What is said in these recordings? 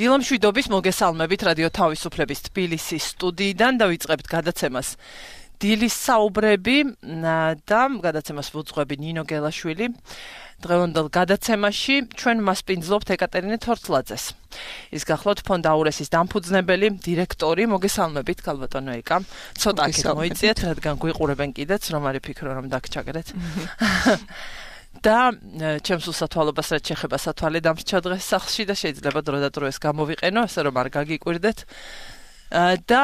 დილამშვიდობის მოგესალმებით რადიო თავისუფლების თბილისის სტუდიიდან დავიწყებთ გადაცემას დილის საუბრები და გადაცემას ვუძღვები ნინო გელაშვილი. დღევანდელ გადაცემაში ჩვენ მასპინძლობთ ეკატერინე თორთლაძეს. ის გახლავთ ფონდ აურესის დამფუძნებელი დირექტორი. მოგესალმებით ქალბატონო ეკა. ცოტა აქეთ მოიწიეთ, რადგან გვიყურებენ კიდეც, რომ არ ვიფიქრო რომ დაგჩაგრეთ. და ჩემს უსათვალობას რაც შეეხება სათვალე დამრჩა დღეს სახლში და შეიძლება დრო და დრო ეს გამოვიყენო, ასე რომ არ გაგიკვირდეთ. და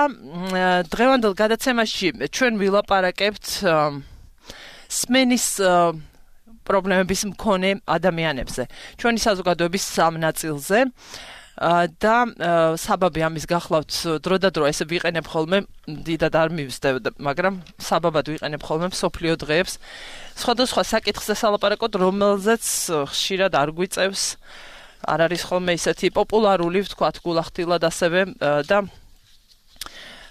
დღევანდელ გადაცემაში ჩვენ ვილაპარაკებთ სმენის პრობლემების მქონე ადამიანებზე. ჩვენი საზოგადოების სამ ნაწილზე და საბაბი ამის გახლავთ დრო და დრო ესე ვიყენებ ხოლმე დიდად არ მივსდევ, მაგრამ საბაბად ვიყენებ ხოლმე მსოფლიო დღეებს. სხვადასხვა საკითხზე სალაპარაკოთ, რომელზეც ხშირად არ გვიწევს, არ არის ხოლმე ისეთი პოპულარული, ვთქვათ, გულახდილად ასევე და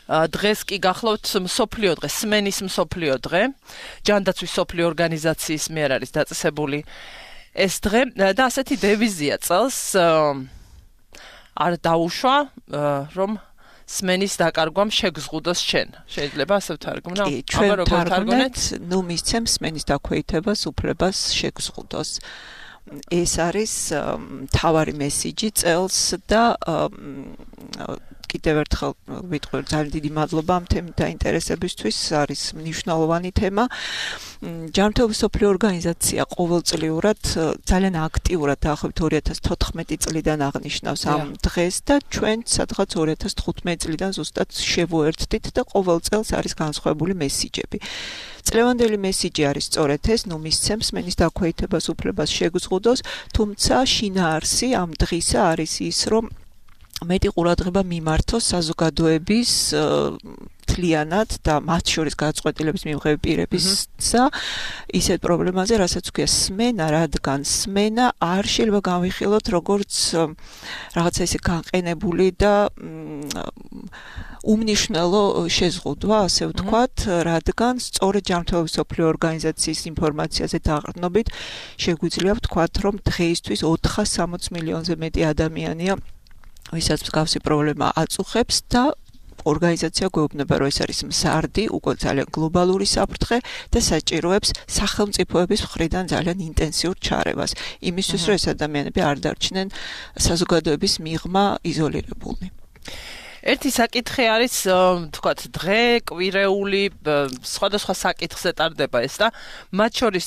დღეს კი გახლავთ მსოფლიო დღე, სმენის მსოფლიო დღე. ჯანდაცვის მსოფლიო ორგანიზაციის მიერ არის დაწესებული ეს დღე და ასეთი დევიზია წელს არ დაუშვა, რომ სმენის დაკარგვამ შეგზღუდოს შენ. შეიძლება ასე ვთარგმნო? კი, ჩვენ ვთარგმნეთ, ნუ მისცემ სმენის დაქვეითებას უფლებას შეგზღუდოს. ეს არის მთავარი მესიჯი წელს და კიდევ ერთხელ ვიტყვი ძალიან დიდი მადლობა ამ თემით დაინტერესებისთვის, არის მნიშვნელოვანი თემა. ჯანმრთელობის მსოფლიო ორგანიზაცია ყოველწლიურად ძალიან აქტიურად დაახლოებით 2014 წლიდან აღნიშნავს ამ დღეს და ჩვენ სადღაც 2015 წლიდან ზუსტად შევუერთდით და ყოველ წელს არის განსხვავებული მესიჯები. წლევანდელი მესიჯი არის სწორედ ეს, ნუ მისცემ სმენის დაქვეითებას უფლებას შეგზღუდოს, თუმცა შინაარსი ამ დღისა არის ის, რომ მეტი ყურადღება მიმართოს საზოგადოების თლიანად და მათ შორის გადაწყვეტილების მიღების პირებისა ისეთ პრობლემაზე, რასაც ქვია სმენა, რადგან სმენა არ შეიძლება განვიხილოთ როგორც რაღაცა ისე განყენებული და უმნიშვნელო შეზღუდვა, ასე ვთქვათ, რადგან სწორედ ჯანმრთელობის მსოფლიო ორგანიზაციის ინფორმაციაზე დაყრდნობით შეგვიძლია ვთქვათ, რომ დღეისთვის 460 მილიონზე მეტი ადამიანია ვისაც მსგავსი პრობლემა აწუხებს და ორგანიზაცია გვეუბნება, რომ ეს არის მზარდი, უკვე ძალიან გლობალური საფრთხე და საჭიროებს სახელმწიფოების მხრიდან ძალიან ინტენსიურ ჩარევას. იმისთვის, რომ ეს ადამიანები არ დარჩნენ საზოგადოების მიღმა იზოლირებულნი. ერთი საკითხი არის, თქვათ, დღე, კვირეული, სხვადასხვა საკითხზე ტარდება ეს და მათ შორის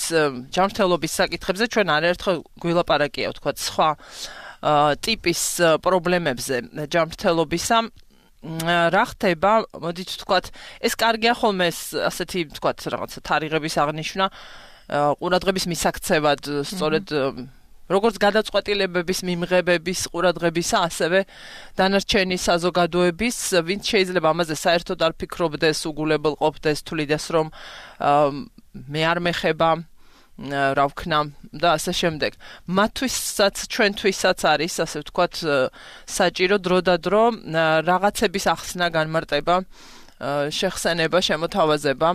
ჯანმრთელობის საკითხებზე ჩვენ არაერთხელ გვილაპარაკია, თქვათ, სხვა ტიპის პრობლემებზე ჯანმრთელობისა. რა ხდება, მოდით ვთქვათ, ეს კარგია ხოლმე ეს ასეთი, ვთქვათ, რაღაცა თარიღების აღნიშვნა, ყურადღების მისაქცევად, სწორედ როგორც გადაწყვეტილებების მიმღებების ყურადღებისა, ასევე დანარჩენი საზოგადოების, ვინც შეიძლება ამაზე საერთოდ არ ფიქრობდეს, უგულებელყოფდეს, თვლიდეს, რომ მე არ მეხება რა ვქნა და ასე შემდეგ. მათთვისაც, ჩვენთვისაც არის, ასე ვთქვათ, საჭირო დრო და დრო რაღაცების ახსნა, განმარტება, შეხსენება, შემოთავაზება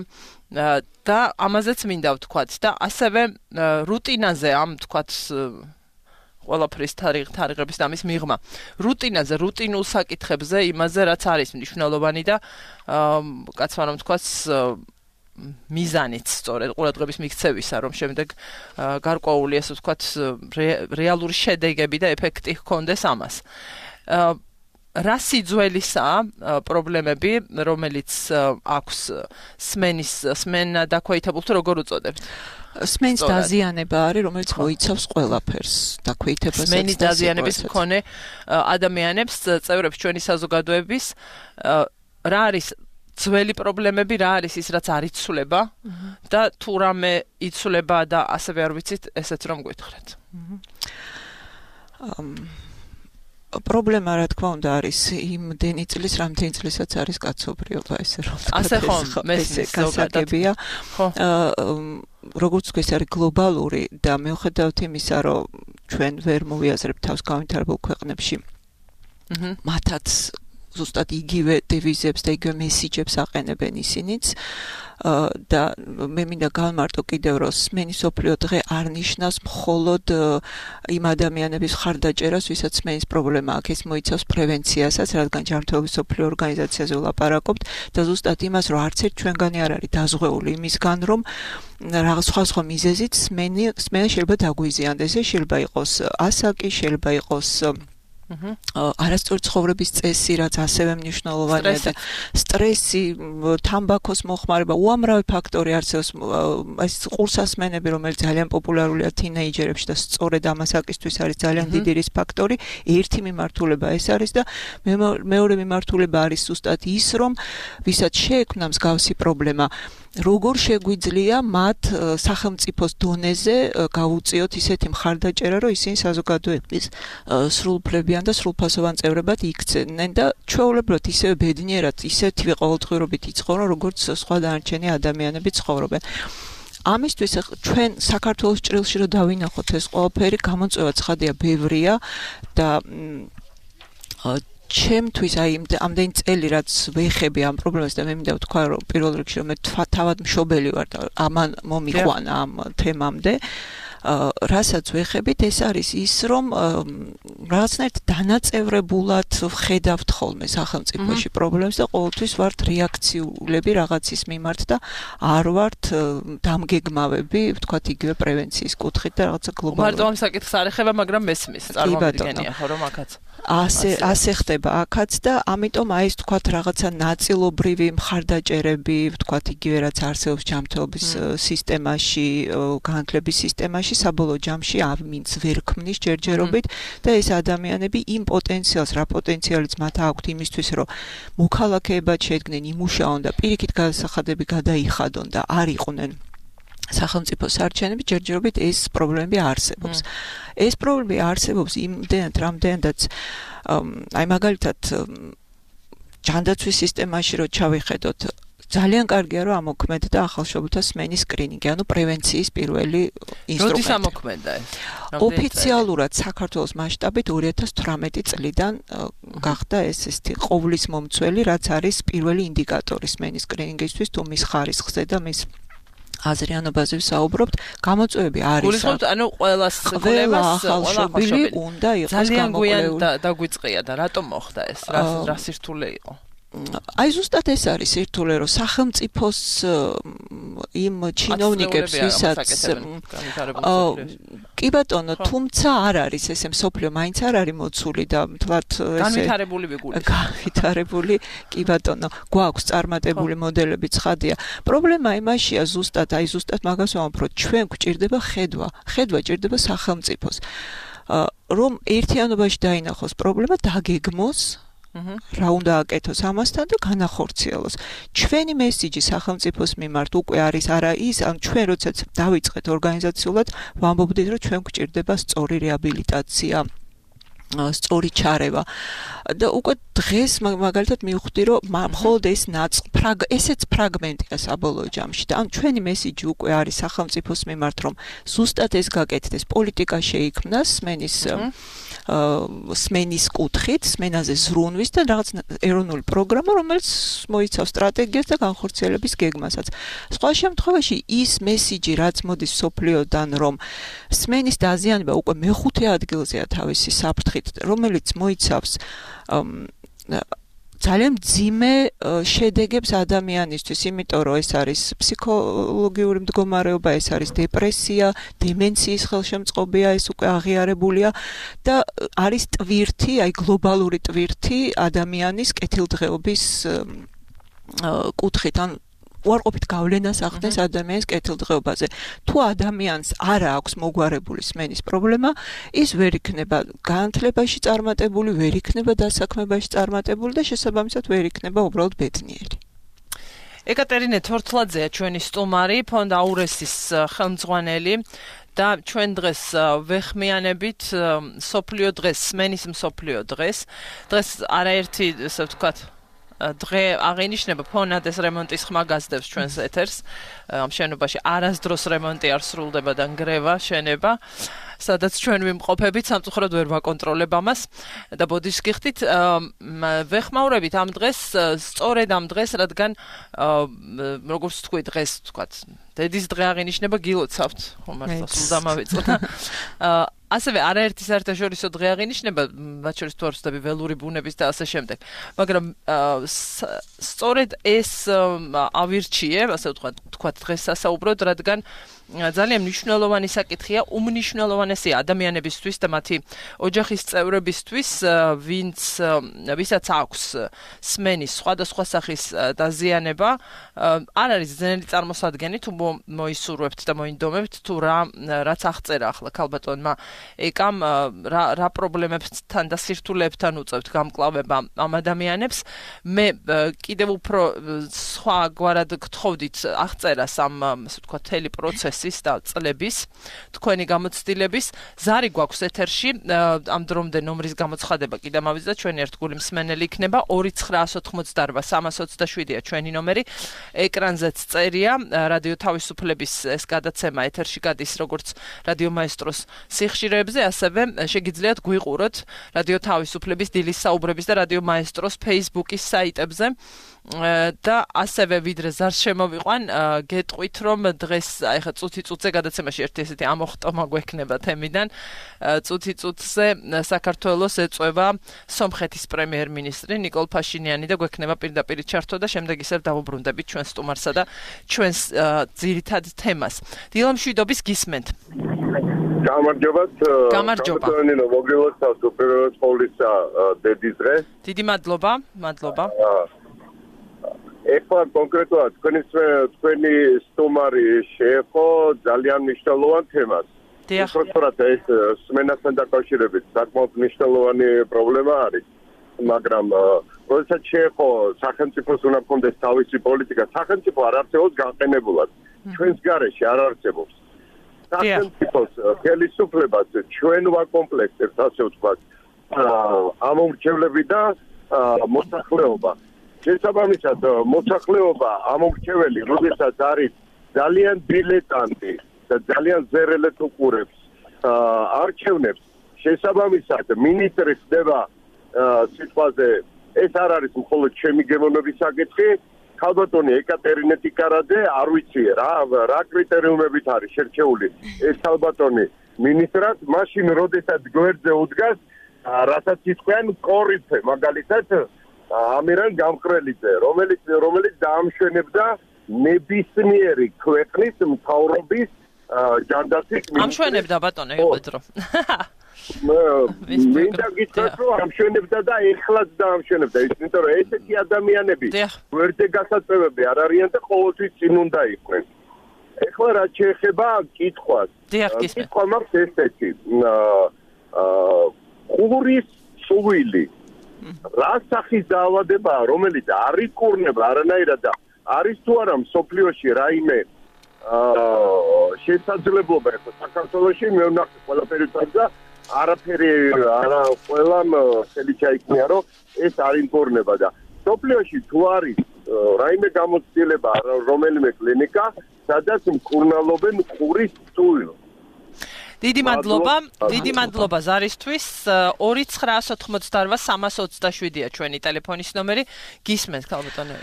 და ამაზეც მინდა ვთქვათ და ასევე რუტინაზე ამ ვთქვათ ყველაფრის თარიღების და ამის მიღმა. რუტინაზე, რუტინულ საკითხებზე, იმაზე რაც არის მნიშვნელოვანი და კაცმა რომ ვთქვათ მიზანიც სწორედ ყურადღების მიქცევისა, რომ შემდეგ გარკვეული ასე ვთქვათ რეალური შედეგები და ეფექტი ჰქონდეს ამას. რა სიძველისაა პრობლემები, რომელიც აქვს სმენა დაქვეითებულს, როგორ უწოდებთ? სმენის დაზიანება არის, რომელიც მოიცავს ყველაფერს, დაქვეითებასაც და სმენის დაზიანების მქონე ადამიანებს, წევრებს ჩვენი საზოგადოების, რა არის ძველი პრობლემები, რა არის ის, რაც არ იცვლება და თუ რამე იცვლება და ასევე არ ვიცით, ესეც რომ გვითხრათ. პრობლემა რა თქმა უნდა არის იმდენი წლის, რამდენი წლისაც არის კაცობრიობა, ესე რომ ვთქვათ. ასე ხომ, მესმის გასაგებია. როგორც ეს არის გლობალური და მიუხედავად იმისა, რომ ჩვენ ვერ მოვიაზრებთ თავს განვითარებულ ქვეყნებში, მათაც ზუსტად იგივე დევიზებს და იგივე მესიჯებს აყენებენ ისინიც და მე მინდა გავმარტო კიდევ რომ სმენის სოფლიო დღე არ ნიშნავს მხოლოდ იმ ადამიანების ხარდაჭერას, ვისაც სმენის პრობლემა აქვს, ეს მოიცავს პრევენციასაც, რადგან ჯანმრთელობის სოფლიო ორგანიზაციაზე ვლაპარაკობთ და ზუსტად იმას, რომ არც ერთ ჩვენგანი არ არის დაზღვეული იმისგან, რომ რაღაც სხვა მიზეზით სმენა შეიძლება დაგვიზიანდეს. ეს შეიძლება იყოს ასაკი, შეიძლება იყოს არასწორი ცხოვრების წესი, რაც ასევე მნიშვნელოვანია და სტრესი, თამბაქოს მოხმარება, უამრავი ფაქტორი არსებობს. ეს ყურსასმენები, რომელიც ძალიან პოპულარულია თინეიჯერებში და სწორედ ამ ასაკისთვის არის ძალიან დიდი რის ფაქტორი. ერთი მიმართულება ეს არის და მეორე მიმართულება არის ზუსტად ის, რომ ვისაც შეექმნა მსგავსი პრობლემა, როგორ შეგვიძლია მათ სახელმწიფოს დონეზე გავუწიოთ ისეთი მხარდაჭერა, რომ ისინი საზოგადოების სრულუფლებიან და სრულფასოვან წევრებად იქცნენ და ჩვეულებრივად ისევე ბედნიერად, ისეთივე ყოველდღიურობით იცხოვრონ, როგორც სხვა დანარჩენი ადამიანები ცხოვრობენ. ამისთვის ჩვენ საქართველოს ჭრილში რომ დავინახოთ ეს ყველაფერი, გამოწვევა ცხადია ბევრია და ჩემთვის აი ამდენი წელი რაც ვეხები ამ პრობლემას და მე მინდა ვთქვა რომ პირველ რიგში რომ მე თავად მშობელი ვარ და ამან მომიყვანა ამ თემამდე რასაც ვეხებით ეს არის ის რომ რაღაცნაირად დანაწევრებულად ვხედავთ ხოლმე სახელმწიფოში პრობლემებს და ყოველთვის ვართ რეაქციულები რაღაცის მიმართ და არ ვართ დამგეგმავები ვთქვათ იგივე პრევენციის კუთხით და რაღაცა გლობალური მარტო ამ საკითხს არ ეხება მაგრამ მესმის წარმოვიდგენია ხო რომ აქაც ასე ხდება აქაც და ამიტომ აი ეს თქვათ რაღაცა ნაწილობრივი მხარდაჭერები, ვთქვათ იგივე რაც არსებობს ჯანმრთელობის სისტემაში, განათლების სისტემაში, საბოლოო ჯამში ამინც ვერ ქმნის ჯერჯერობით და ეს ადამიანები იმ პოტენციალს, რა პოტენციალიც მათ აქვთ იმისთვის, რომ მოქალაქეებად შედგნენ, იმუშაონ და პირიქით გადასახადები გადაიხადონ და არ იყვნენ სახელმწიფო სარჩენები ჯერჯერობით ეს პრობლემები არსებობს. ეს პრობლემები არსებობს იმდენად რამდენადაც აი მაგალითად ჯანდაცვის სისტემაში რო ჩავიხედოთ ძალიან კარგია რომ ამოქმედდა ახალშობილთა სმენის სკრინინგი, ანუ პრევენციის პირველი ინსტრუმენტი. როდის ამოქმედდა ეს? ოფიციალურად საქართველოს მასშტაბით 2018 წლიდან გახდა ეს ყოვლის მომცველი, რაც არის პირველი ინდიკატორი სმენის სკრინინგისთვის თუ მის ხარისხზე და მის აზრიანობაზე ვსაუბრობთ, გამოწვევები არის. გულისხმობთ, ანუ ყველა ახალშობილი უნდა იყოს ძალიან გვიან დაგვიწყია და რატომ მოხდა ეს? რა სირთულე იყო? აი ზუსტად ეს არის სირთულე, რომ სახელმწიფოს იმ ჩინოვნიკებს, ვისაც კი ბატონო, თუმცა არ არის ესე მსოფლიო მაინც არ არის მოცული და თლათ ესე განვითარებული ვიგული. განვითარებული, კი ბატონო, გვაქვს წარმატებული მოდელები ცხადია. პრობლემა იმაშია ზუსტად მაგას ვამბობ, რომ ჩვენ გვჭირდება ხედვა ჭირდება სახელმწიფოს. რომ ერთიანობაში დაინახოს პრობლემა, დაგეგმოს რა უნდა აკეთოს ამასთან და განახორციელოს. ჩვენი მესიჯი სახელმწიფოს მიმართ უკვე არის არა ის, ან ჩვენ როდესაც დავიწყეთ ორგანიზაციულად, ვამბობდით, რომ ჩვენ გვჭირდება სწორი რეაბილიტაცია, სწორი ჩარევა. და უკვე დღეს მაგალითად მივხვდი, რომ მხოლოდ ესეც ფრაგმენტია საბოლოო ჯამში. და ან ჩვენი მესიჯი უკვე არის სახელმწიფოს მიმართ, რომ ზუსტად ეს გაკეთდეს, პოლიტიკა შეიქმნას სმენის კუთხით, სმენაზე ზრუნვის და რაღაც ეროვნული პროგრამა, რომელიც მოიცავს სტრატეგიას და განხორციელების გეგმასაც. სხვა შემთხვევაში ის მესიჯი, რაც მოდის მსოფლიოდან, რომ სმენის დაზიანება უკვე მეხუთე ადგილზეა თავისი საფრთხით, რომელიც მოიცავს ძალიან მძიმე შედეგებს ადამიანისთვის, იმიტომ რომ ეს არის ფსიქოლოგიური მდგომარეობა, ეს არის დეპრესია, დემენციის ხელშემწყობია, ეს უკვე აღიარებულია და არის ტვირთი, აი გლობალური ტვირთი ადამიანის კეთილდღეობის კუთხით, ან უარყოფით გავლენას ახდენს ადამიანის კეთილდღეობაზე. თუ ადამიანს არ აქვს მოგვარებული სმენის პრობლემა, ის ვერ იქნება განათლებაში წარმატებული, ვერ იქნება დასაქმებაში წარმატებული და შესაბამისად ვერ იქნება უბრალოდ ბედნიერი. ეკატერინე თორთლაძეა ჩვენი სტუმარი, ფონდ აურესის ხელმძღვანელი და ჩვენ დღეს ვეხმიანებით სოფლიო დღეს, სმენის მსოფლიო დღეს. დღეს არაერთი, ასე ვთქვათ, დღე აღინიშნება ფონადეს რემონტის ხმა გასდევს ჩვენს ეთერს. ამ შენობაში არასდროს რემონტი არ სრულდება და ნგრევა შენება. სადაც ჩვენ ვიმყოფებით, სამწუხაროდ ვერ ვაკონტროლებ ამას და ბოდიშს გიხდით, ვეხმაურებით ამ დღეს, სწორედ ამ დღეს, რადგან როგორც თქვი დღეს, თქვათ, დედის დღე აღინიშნება გილოცავთ, ხომ მართლა სულ დამავიწყდა. ასევე არაერთი საერთაშორისო დღე აღინიშნება, მათ შორის თუ არ ვცდები ველური ბუნების და ასე შემდეგ. მაგრამ სწორედ ეს ავირჩიე, ასე ვთქვათ, დღეს სასაუბროდ, რადგან ძალიან მნიშვნელოვანი საკითხია, უმნიშვნელოვანესია ადამიანებისთვის და მათი ოჯახის წევრებისთვის, ვისაც აქვს სმენის სხვადასხვა სახის დაზიანება, არ არის ძნელი წარმოსადგენი, თუ მოისურვებთ და მოინდომებთ, თუ რაც აღწერა ახლა ქალბატონმა ეკამ, რა პრობლემებთან და სირთულეებთან უწევთ გამკლავება ამ ადამიანებს. მე კიდევ უფრო სხვაგვარად გთხოვდით აღწერას ამ, ასე ვთქვათ, მთელი პროცესის და წლების, თქვენი გამოცდილების. ზარი გვაქვს ეთერში, ამ დრომდე ნომრის გამოცხადება კიდე მავიწყდა, ჩვენი ერთგული მსმენელი იქნება 2988327-ია ჩვენი ნომერი. ეკრანზეც წერია, რადიო თავისუფლების ეს გადაცემა ეთერში გადის როგორც რადიო მაესტროს სიხშირეებზე, ასევე შეგიძლიათ გვიყუროთ რადიო თავისუფლების დილის საუბრების და რადიო მაესტროს Facebook-ის საიტებზე. და ასევე ვიდრე ზარს შემოვიყვან, გეტყვით, რომ დღეს ეხა წუთი-წუთზე გადაცემაში ერთი ესეთი ამოხტომა გვექნება თემიდან. წუთი-წუთზე საქართველოს ეწვევა სომხეთის პრემიერ-მინისტრი ნიკოლ ფაშინიანი და გვექნება პირდაპირ ჩართვა და შემდეგ ისევ დავუბრუნდებით ჩვენს სტუმარსა და ჩვენს ძირითად თემას. დილამშვიდობის გისმენთ. გამარჯობათ. გამარჯობა. მოგილოცავთ უპირველეს ყოვლისა დედის დღე. დიდი მადლობა, მადლობა. ეხლა კონკრეტულად თქვენი სტუმარი შეეხო ძალიან მნიშვნელოვან თემას. უბრალოდ ეს სმენასთან დაკავშირებით საკმაოდ მნიშვნელოვანი პრობლემა არის. მაგრამ როდესაც შეეხო სახელმწიფოს უნდა ჰქონდეს თავისი პოლიტიკა, სახელმწიფო არ არსებობს განყენებულად. ჩვენს გარეშე არ არსებობს. სახელმწიფოს ხელისუფლებას ჩვენ ვაკომპლექტებთ, ასე ვთქვათ, ამომრჩევლები და მოსახლეობა. შესაბამისად, მოსახლეობა ამომრჩეველი, როდესაც არის ძალიან დილეტანტი და ძალიან ზერელეთ უყურებს არჩევნებს, შესაბამისად, მინისტრი ხდება სიტყვაზე, ეს არ არის მხოლოდ ჩემი გემოვნების საკითხი, ქალბატონი ეკატერინე ტიკარაძე, არ ვიცი რა კრიტერიუმებით არის შერჩეული ეს ქალბატონი მინისტრად, მაშინ როდესაც გვერდზე უდგას, რასაც იტყვიან კორიფე, მაგალითად ამირან გამყრელიძე, რომელიც დაამშვენებდა ნებისმიერი ქვეყნის მთავრობის ჯანდაცვის მინისტრს. ამშვენებდა ბატონო, იყვედრო. მინდა გითხრათ, რომ ამშვენებდა და ეხლაც დაამშვენებდა, იმიტომ რომ ესეთი ადამიანები გვერდზე გასაწევები არ არიან და ყოველთვის წინ უნდა იყვნენ. ეხლა რაც შეეხება კითხვას. კითხვა მაქვს ესეთი. ყურის სუვილი რა სახის დაავადებაა, რომელიც არ იკურნება არანაირად და არის თუ არა მსოფლიოში რაიმე შესაძლებლობა ეხლა საქართველოში მე ვნახე ყველაფერი და არაფერი არა ყველამ ხელი ჩაიქნია რომ ეს არ იკურნება და მსოფლიოში თუ არის რაიმე გამოცდილება რომელიმე კლინიკა სადაც მკურნალობენ ყურის სუვილს. დიდი მადლობა ზარისთვის. 2988327-ია ჩვენი ტელეფონის ნომერი. გისმენთ ქალბატონო.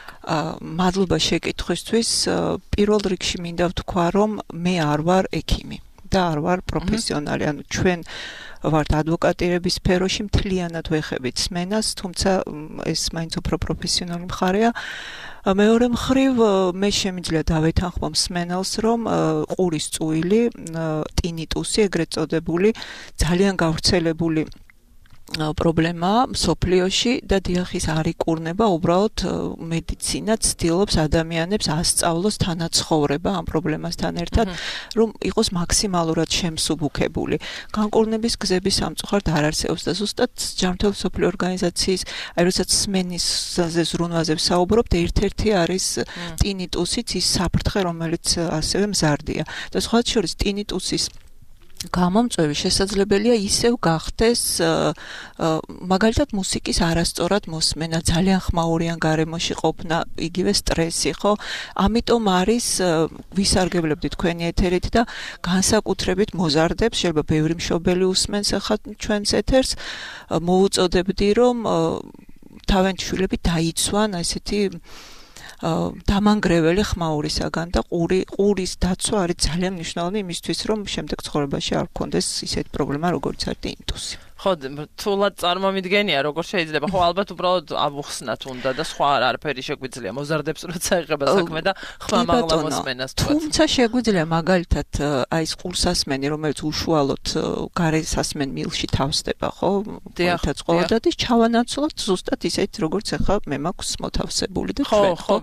მადლობა შეკითხვისთვის. პირველ რიგში მინდა ვთქვა, რომ მე არ ვარ ექიმი და არ ვარ პროფესიონალი. ანუ ჩვენ ვართ ადვოკატირების სფეროში, მთლიანად ვეხებით სმენას, თუმცა ეს მაინც უფრო პროფესიონალი მხარეა. მეორე მხრივ მე შემიძლია დავეთანხმო მსმენელს, რომ ყურის წუვილი, ტინიტუსი, ეგრეთ წოდებული, ძალიან გავრცელებული პრობლემაა მსოფლიოში და დიახის არ იკურნება, უბრალოდ მედიცინა ცდილობს ადამიანებს ასწავლოს თანაცხოვრება ამ პრობლემასთან ერთად, რომ იყოს მაქსიმალურად შემსუბუქებული. განკურნების გზები სამწუხაროდ არ არსებობს და ზუსტად ჯანმრთელობის მსოფლიო ორგანიზაციის, აი როდესაც სმენის ზრუნვაზე ვსაუბრობთ, ერთ-ერთი არის ტინიტუსიც, ის საფრთხე, რომელიც ასევე მზარდია. და სხვა შორის ტინიტუსის გამომწვევი შესაძლებელია ისევ გახდეს მაგალითად მუსიკის არასწორად მოსმენა, ძალიან ხმაურიან გარემოში ყოფნა, იგივე სტრესი, ხო? ამიტომ არის ვისარგებლებდი თქვენი ეთერით და განსაკუთრებით მოზარდებს, შეიძლება ბევრი მშობელი უსმენს ახლა ჩვენს ეთერს, მოუწოდებდი რომ თავიანთი შვილები დაიცვან ესეთი დამანგრეველი ხმაურისაგან და ყურის დაცვა არის ძალიან მნიშვნელოვანი იმისთვის, რომ შემდეგ ცხოვრებაში არ გქონდეს ისეთი პრობლემა, როგორც არის ტინიტუსი. ხო, თულად წარმომიდგენია, როგორ შეიძლება. ხო, ალბათ უბრალოდ ამოხსნათ უნდა და სხვა არაფერი შეგვიძლია. მოზარდებს როცა ეხება საქმე და ხმამაღლა მოსმენას. თუმცა შეგვიძლია მაგალითად აი ეს ყურსასმენი, რომელიც უშუალოდ გარესასმენ მილში თავსდება, ხო? თუმცა ყოველდღიურად ჩავანაცვლოთ ზუსტად ისეთ, როგორც ახლა მე მაქვს მოთავსებული და ჩვენ, ხო?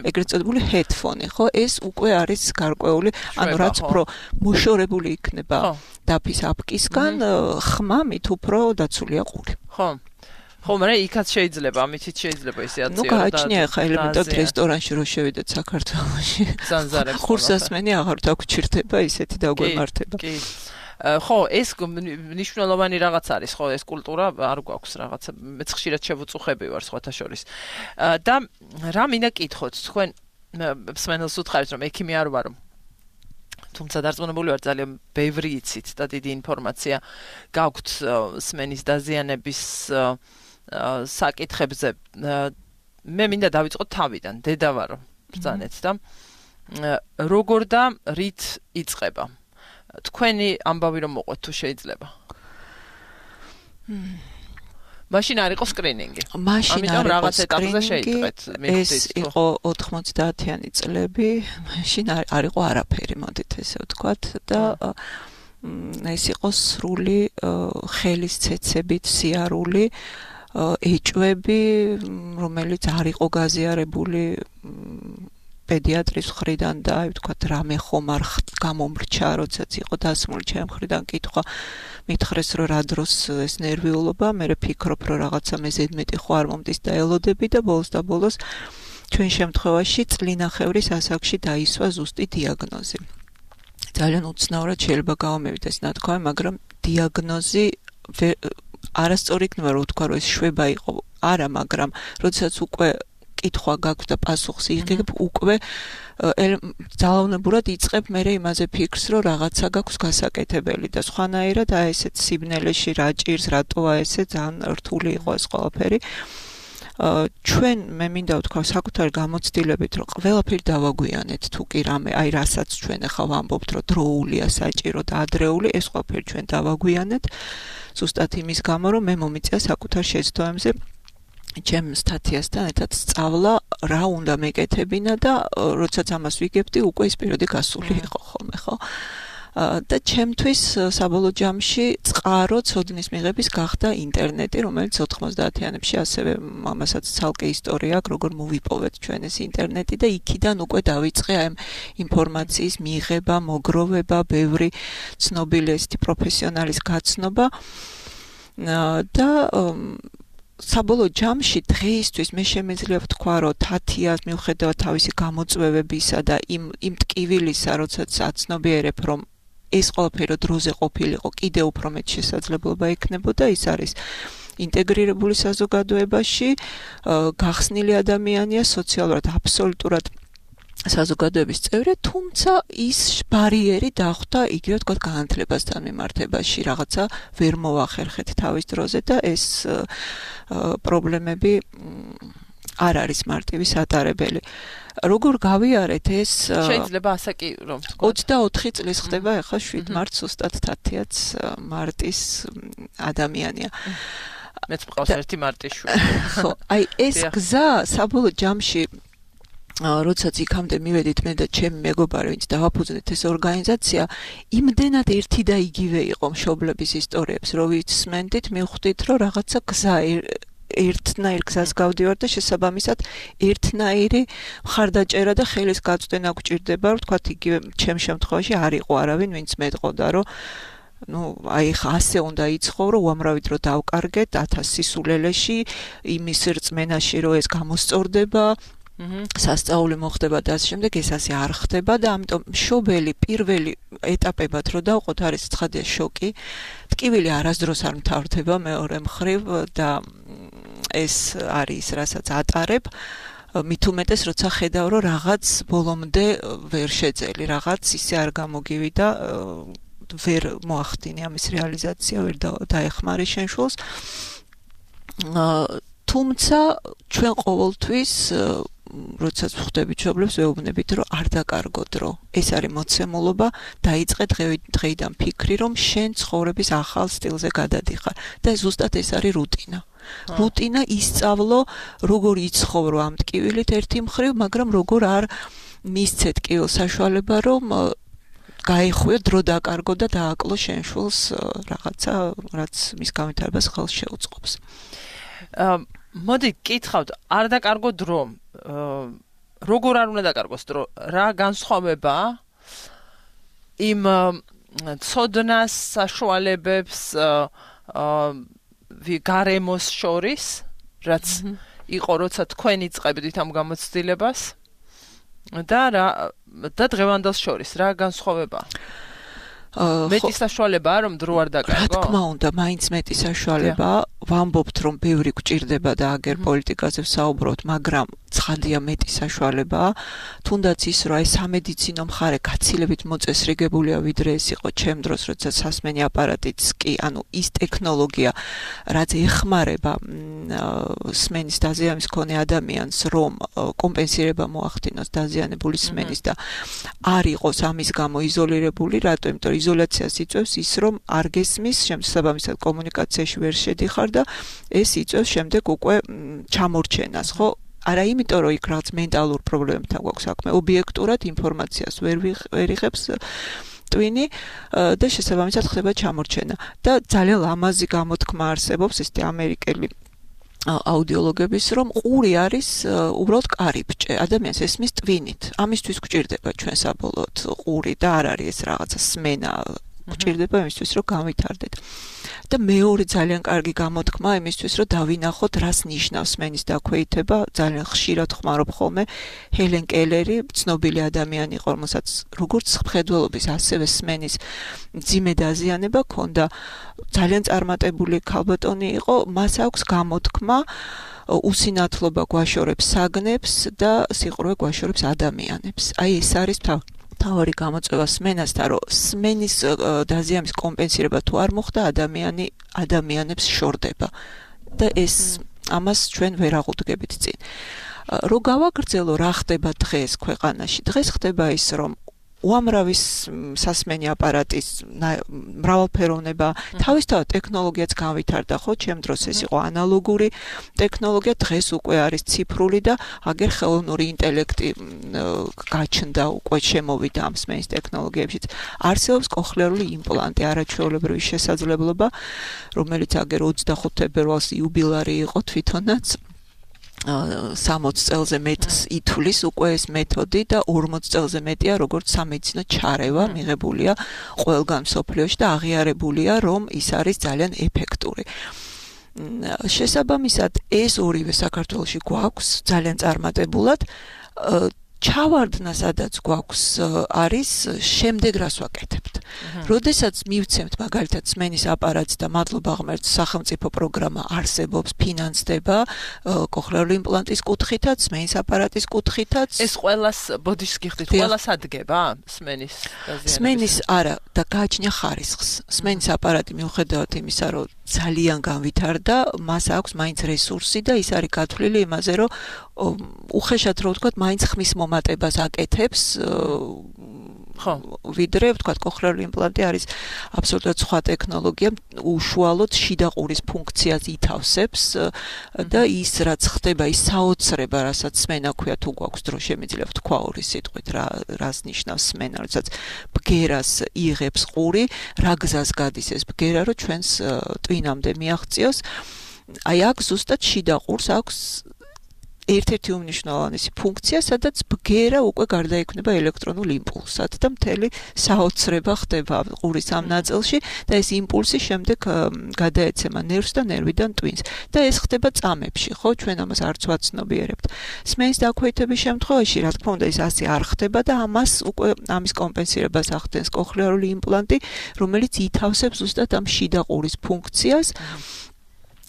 ეგრეთ წოდებული headphone, ხო? ეს უკვე არის გარკვეული, ანუ რაც უფრო მოშორებული იქნება დაფის აპკისგან, ხმა მით უფრო დაცულია ყური. ხო. ხო, მაგრამ იქაც შეიძლება, ამითიც შეიძლება ისე აციო. ნუ გააჩნია ხა ელემენტად რესტორანში რო შევიდეთ საქართველოში. ზანზარებს. ხურსასმენი აღარ დაგჩირდება ისეთი დაგვემართება. კი. ხო, ეს მნიშვნელოვანი რაღაც არის, ხო, ეს კულტურა არ გვაქვს რაღაცა. მეც ხშირად შევუწუხები ვარ სხვათა შორის. და რა მინდა კითხოთ, თქვენ მსმენელს უთხარით, რომ ექიმი არ ვარო. თუმცა დარწმუნებული ვარ ძალიან ბევრი იცით და დიდი ინფორმაცია გაქვთ სმენის დაზიანების საკითხებზე. მე მინდა დავიწყოთ თავიდან, დედა ვარო ბრძანეთ და როგორ და რით იწყება. თქვენი ამბავი რომ მოყვეთ თუ შეიძლება. მაშინ არ იყო სკრინინგი. ამიტომ რაღაც ეტაპზე შეიტყვეთ. ეს იყო 90-იანი წლები, მაშინ არ იყო არაფერი, მოდით ესე ვთქვათ და ეს იყო სრული ხელის ცეცებით სიარული, ეჭვები, რომელიც არ იყო გაზიარებული პედიატრის მხრიდან და აი ვთქვათ რამე ხომ არ გამომრჩა, როდესაც იყო დასმული ჩემ მხრიდან კითხვა, მითხრეს რომ რა დროს ეს ნერვიულობა, მე ვფიქრობ რომ რაღაცა მე ზედმეტი ხო არ მომდის და ელოდები და ბოლოს ჩვენ შემთხვევაში წლინახევრის ასაკში დაისვა ზუსტი დიაგნოზი. ძალიან უცნაურად შეიძლება გავამევიდეს ნათქვამი, მაგრამ დიაგნოზი არასწორი იქნება რომ ვთქვა რომ ეს შვება იყო, არა, მაგრამ როდესაც უკვე კითხვა გაქვს და პასუხს იღებ, უკვე ძალაუნებურად იწყებ მე იმაზე ფიქრს, რომ რაღაცა გაქვს გასაკეთებელი და სხვანაირად აი ესეთ სიბნელეში რა ჭირს, რატოა ესე ძალიან რთული იყო ეს ყველაფერი. ჩვენ მე მინდა ვთქვა საკუთარი გამოცდილებით, რომ ყველაფერი დავაგვიანეთ თუ კი რამე, აი რასაც ჩვენ ახლა ვამბობთ, რომ დროულია, საჭირო და ადრეული, ეს ყველაფერი ჩვენ დავაგვიანეთ. ზუსტად იმის გამო, რომ მე მომიწია საკუთარ შეცდომებზე ჩემ სტატიასთან ერთად სწავლა რა უნდა მეკეთებინა და როდესაც ამას ვიგებდი, უკვე ის პერიოდი გასული იყო ხოლმე, ხო? და ჩემთვის საბოლოო ჯამში წყარო ცოდნის მიღების გახდა ინტერნეტი, რომელიც 90-იანებში ასევე ამასაც ცალკე ისტორია აქვს, როგორ მოვიპოვეთ ჩვენ ეს ინტერნეტი და იქიდან უკვე დავიწყე ამ ინფორმაციის მიღება, მოგროვება, ბევრი ცნობილი ესეთი პროფესიონალის გაცნობა და საბოლოო ჯამში დღეისთვის მე შემეძლია ვთქვა, რომ თათიას მიუხედავად თავისი გამოწვევებისა და იმ ტკივილისა, როდესაც აცნობიერებ, რომ ეს ყველაფერი დროზე ყოფილიყო, კიდევ უფრო მეტ შესაძლებლობა ექნებოდა, ის არის ინტეგრირებული საზოგადოებაში, გახსნილი ადამიანია, სოციალურად აბსოლუტურად საზოგადოების წევრი, თუმცა ის ბარიერი დახვდა იგივე ვთქვათ განათლებასთან მიმართებაში, რაღაცა ვერ მოახერხეთ თავის დროზე და ეს პრობლემები არ არის მარტივი სატარებელი. როგორ გავიარეთ ეს? შეიძლება ასე კი რომ ვთქვათ. 24 წლის ხდება ახლა 7 მარტს ზუსტად თათიაც მარტის ადამიანია. მეც მყავს ერთი მარტიშვილი. ხო, აი ეს გზა საბოლოო ჯამში როდესაც იქამდე მივედით მე და ჩემი მეგობარი, ვინც დავაფუძნეთ ეს ორგანიზაცია, იმდენად ერთი და იგივე იყო მშობლების ისტორიებს, რომ ვიცმენდით, მივხვდით, რომ რაღაცა გზა ერთნაირ გზას გავდივარ და შესაბამისად ერთნაირი მხარდაჭერა და ხელის გაწვდენა გვჭირდება, ვთქვათ, იგივე ჩემ შემთხვევაში არ იყო არავინ, ვინც მეტყოდა, რომ აი ხა ასე უნდა იცხოვრო, უამრავი დრო დავკარგეთ 1000 სისულელეში, იმის რწმენაში, რომ ეს გამოსწორდება. სასწაული მოხდება და ასე შემდეგ ეს ასე არ ხდება და ამიტომ მშობელი პირველი ეტაპებად რო დავყოთ არის ცხადია შოკი ტკივილი არასდროს არ მთავრდება მეორე მხრივ და ეს არის რასაც ატარებ მით უმეტეს როცა ხედავ რომ რაღაც ბოლომდე ვერ შეძელი რაღაც ისე არ გამოგივიდა ვერ მოახდინე ამის რეალიზაცია ვერ დაეხმარი შენ შულს თუმცა ჩვენ ყოველთვის როდესაც ვხვდებით მშობლებს ვეუბნებით რომ არ დაკარგო დრო ეს არის მოცემულობა დაიწყე დღეიდან ფიქრი რომ შენ ცხოვრების ახალ სტილზე გადადიხარ და ზუსტად ეს არის რუტინა ისწავლო როგორ იცხოვრო ამ ტკივილით ერთი მხრივ მაგრამ როგორ არ მისცე ტკივილს საშუალება რომ გაეხვიო დრო დაკარგო და დააკლო შენ შულს რაღაცა რაც მის განვითარებას ხელს შეუწყობს მოდი გკითხავთ არ დაკარგო დრო როგორ არ უნდა დაკარგოს დრო რა განსხვავება იმ ცოდნას საშუალებებს გარემოს შორის რაც იყო როცა თქვენ იწყებდით ამ გამოცდილებას და დღევანდელს შორის რა განსხვავება მეტი საშუალებაა რომ დრო არ დაკარგო რა თქმა უნდა მაინც მეტი საშუალებაა ვამბობთ რომ ბევრი გვჭირდება და აგერ პოლიტიკაზე ვსაუბრობთ მაგრამ ცხადია მეტი საშუალებაა თუნდაც ის რომ აი სამედიცინო მხარე გაცილებით მოწესრიგებულია ვიდრე ეს იყო ჩემ დროს როცა სასმენი აპარატიც კი ანუ ის ტექნოლოგია რაც ეხმარება სმენის დაზიანების მქონე ადამიანს რომ კომპენსირება მოახდინოს დაზიანებული სმენის და არ იყოს ამის გამო იზოლირებული რატო იმიტომ რომ იზოლაციას იწვევს ის რომ არ გესმის შესაბამისად კომუნიკაციაში ვერ შედიხარ და ეს იწვევს შემდეგ უკვე ჩამორჩენას ხო არა იმიტომ რომ იქ რაღაც მენტალურ პრობლემებთან გვაქვს საქმე ობიექტურად ინფორმაციას ვერ იღებს ტვინი და შესაბამისად ხდება ჩამორჩენა და ძალიან ლამაზი გამოთქმა არსებობს ეს ამერიკელი აუდიოლოგების რომ ყური არის უბრალოდ კარიბჭე ადამიანს ესმის ტვინით ამისთვის გვჭირდება ჩვენ საბოლოოდ ყური და არ არის ეს რაღაცა სმენა გვჭირდება იმისთვის რომ გავითარდეთ და მეორე ძალიან კარგი გამოთქმა იმისთვის რომ დავინახოთ რას ნიშნავს სმენის დაქვეითება ძალიან ხშირად ხმარობ ხოლმე ჰელენ კელერი ცნობილი ადამიანი იყო რომელსაც როგორც მხედველობის ასევე სმენის მძიმე დაზიანება ჰქონდა ძალიან წარმატებული ქალბატონი იყო მას აქვს გამოთქმა უსინათლობა გვაშორებს საგნებს და სიყრუე გვაშორებს ადამიანებს აი ეს არის თავარი გამოწვევა სმენასთან რომ სმენის დაზიანების კომპენსირება თუ არ მოხდა ადამიანებს შორდება და ეს ამას ჩვენ ვერ აღუდგებით წინ რო გავაგრძელო რა ხდება დღეს ქვეყანაში დღეს ხდება ის რომ უამრავი სასმენი აპარატის მრავალფეროვნება თავისთავად ტექნოლოგიაც განვითარდა ხო ჩემ დროს ეს იყო ანალოგური ტექნოლოგია დღეს უკვე არის ციფრული და აგერ ხელოვნური ინტელექტი გაჩნდა უკვე შემოვიდა ამ სმენის ტექნოლოგიებშიც არსებობს კოხლერული იმპლანტი არაჩვეულებრივი შესაძლებლობა რომელიც აგერ 25 თებერვალს იუბილარი იყო თვითონაც 60 წელზე მეტს ითვლის უკვე ეს მეთოდი და 40 წელზე მეტია როგორც სამედიცინო ჩარევა მიღებულია ყველგან მსოფლიოში და აღიარებულია რომ ის არის ძალიან ეფექტური. შესაბამისად ეს ორივე საქართველოში გვაქვს ძალიან წარმატებულად ჩავარდნა სადაც გვაქვს არის შემდეგ რას ვაკეთებთ. როდესაც მივცემთ მაგალითად სმენის აპარატს და მადლობა ღმერთს სახელმწიფო პროგრამა არსებობს, ფინანსდება კოხლერული იმპლანტის კუთხითაც, სმენის აპარატის კუთხითაც. ეს ყველას ბოდიშს გიხდით, ყველას ადგება სმენის დაზიანებას. სმენის არა და გააჩნია ხარისხს. სმენის აპარატი მიუხედავად იმისა, რომ ძალიან განვითარდა, მას აქვს მაინც რესურსი და ის არის გათვლილი იმაზე, რომ უხეშად რო ვთქვათ, მაინც ხმის მომატებას აკეთებს. ხო, ვიდრე ვთქვათ, კოხლერული იმპლანტი არის აბსოლუტურად სხვა ტექნოლოგია, უშუალოდ შიდა ყურის ფუნქციას ითავსებს და ის რაც ხდება, ის საოცრება, რასაც სმენა ქვია, თუ გვაქვს დრო შემიძლია ვთქვა ორი სიტყვით, რას ნიშნავს სმენა, როდესაც ბგერას იღებს ყური, რა გზას გადის ეს ბგერა, რომ ჩვენს ტვინამდე მიაღწიოს. აი აქ ზუსტად შიდა ყურს აქვს ერთ-ერთი უმნიშვნელოვანესი ფუნქცია, სადაც ბგერა უკვე გარდაიქმნება ელექტრონულ იმპულსად და მთელი საოცრება ხდება ყურის ამ ნაწილში და ეს იმპულსი შემდეგ გადაეცემა ნერვს და ნერვიდან ტვინს. და ეს ხდება წამებში, ხო, ჩვენ ამას არც ვაცნობიერებთ. სმენის დაქვეითების შემთხვევაში, რა თქმა უნდა, ეს ასე არ ხდება და ამის კომპენსირებას ახდენს კოხლიარული იმპლანტი, რომელიც ითავსებს ზუსტად ამ შიდა ყურის ფუნქციას.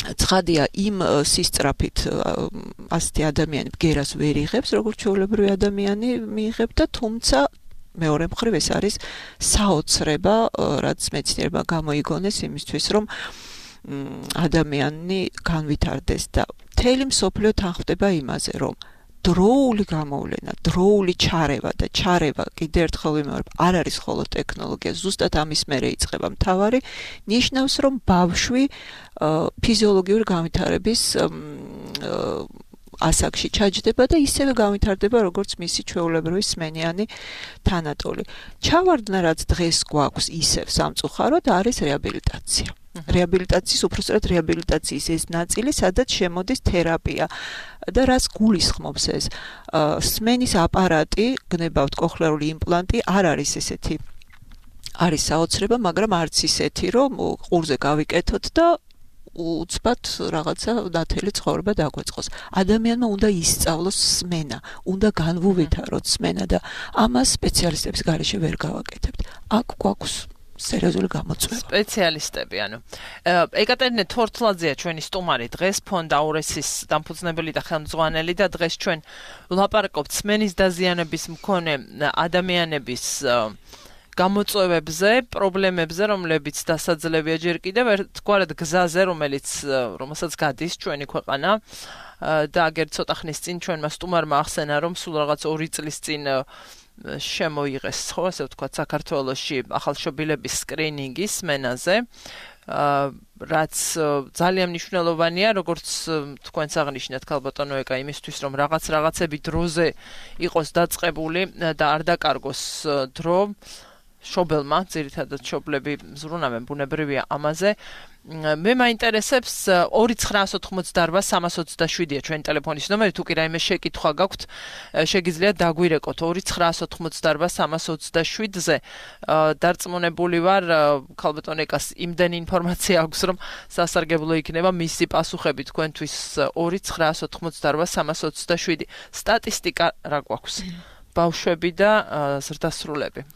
ცხადია, იმ სისწრაფით ასეთი ადამიანი ბგერას ვერ იღებს, როგორც ჩვეულებრივი ადამიანი მიიღებდა, თუმცა მეორე მხრივ ეს არის საოცრება, რაც მეცნიერებმა გამოიგონეს იმისთვის, რომ ადამიანი განვითარდეს და მთელი მსოფლიო თანხმდება იმაზე, რომ დროული გამოვლენა, დროული ჩარევა და ჩარევა კიდევ ერთხელ ვიმეორებ, არ არის მხოლოდ ტექნოლოგია, ზუსტად ამის მერე იწყება მთავარი, ნიშნავს, რომ ბავშვი ფიზიოლოგიური განვითარების ასაკში ჩაჯდება და ისევე განვითარდება, როგორც მისი ჩვეულებრივი სმენიანი თანატოლი. ჩავარდნა, რაც დღეს გვაქვს ისევ სამწუხაროდ, არის რეაბილიტაცია. რეაბილიტაციის, უпростоრად რეაბილიტაციის ეს ნაწილი, სადაც შემოდის თერაპია და რას გულისხმობს ეს? სმენის აპარატი, გნებავთ კოხლიარული იმპლანტი, არ არის ესეთი. არის საოცრება, მაგრამ არც ისეთი, რომ ყურზე გავიკეთოთ და უცბად რაღაცა ნათელი ცხოვრება დაგვეწყოს. ადამიანმა უნდა ისწავლოს სმენა, უნდა განვუვითაროთ სმენა და ამას სპეციალისტების გარეშე ვერ გავაკეთებთ. აქ გვაქვს სერიოზული გამოწვევა. სპეციალისტები, ანუ ეკატერინე თორთლაძეა ჩვენი სტუმარი დღეს, ფონდ აურესის დამფუძნებელი და ხელმძღვანელი და დღეს ჩვენ ვლაპარაკობთ სმენის დაზიანების მქონე ადამიანების გამოწვევებზე, პრობლემებზე, რომლებიც დასაძლებია ჯერ კიდევ ერთგვარად გზაზე, რომელსაც გადის ჩვენი ქვეყანა და აგერ ცოტა ხნის წინ ჩვენმა სტუმარმა ახსენა, რომ სულ რაღაც 2 წლის წინ შემოიღეს, ხო, ასე ვთქვათ, საქართველოში ახალშობილების სკრინინგი სმენაზე, რაც ძალიან მნიშვნელოვანია, როგორც თქვენს აღნიშნეთ, ქალბატონო ეკა, იმისთვის, რომ რაღაცები დროზე იყოს დაწყებული და არ დაკარგოს დრო შობელმა, ძირითადად შობლები ზრუნავენ, ბუნებრივია ამაზე. მე მაინტერესებს 2988327-ია ჩვენი ტელეფონის ნომერი, თუ კი რაიმე შეკითხვა გაქვთ, შეგიძლიათ დაგვირეკოთ 2988327-ზე. დარწმუნებული ვარ, ქალბატონ ეკას იმდენი ინფორმაცია აქვს, რომ სასარგებლო იქნება მისი პასუხები თქვენთვის 2988327. სტატისტიკა რა გვაქვს? ბავშვები და ზრდასრულები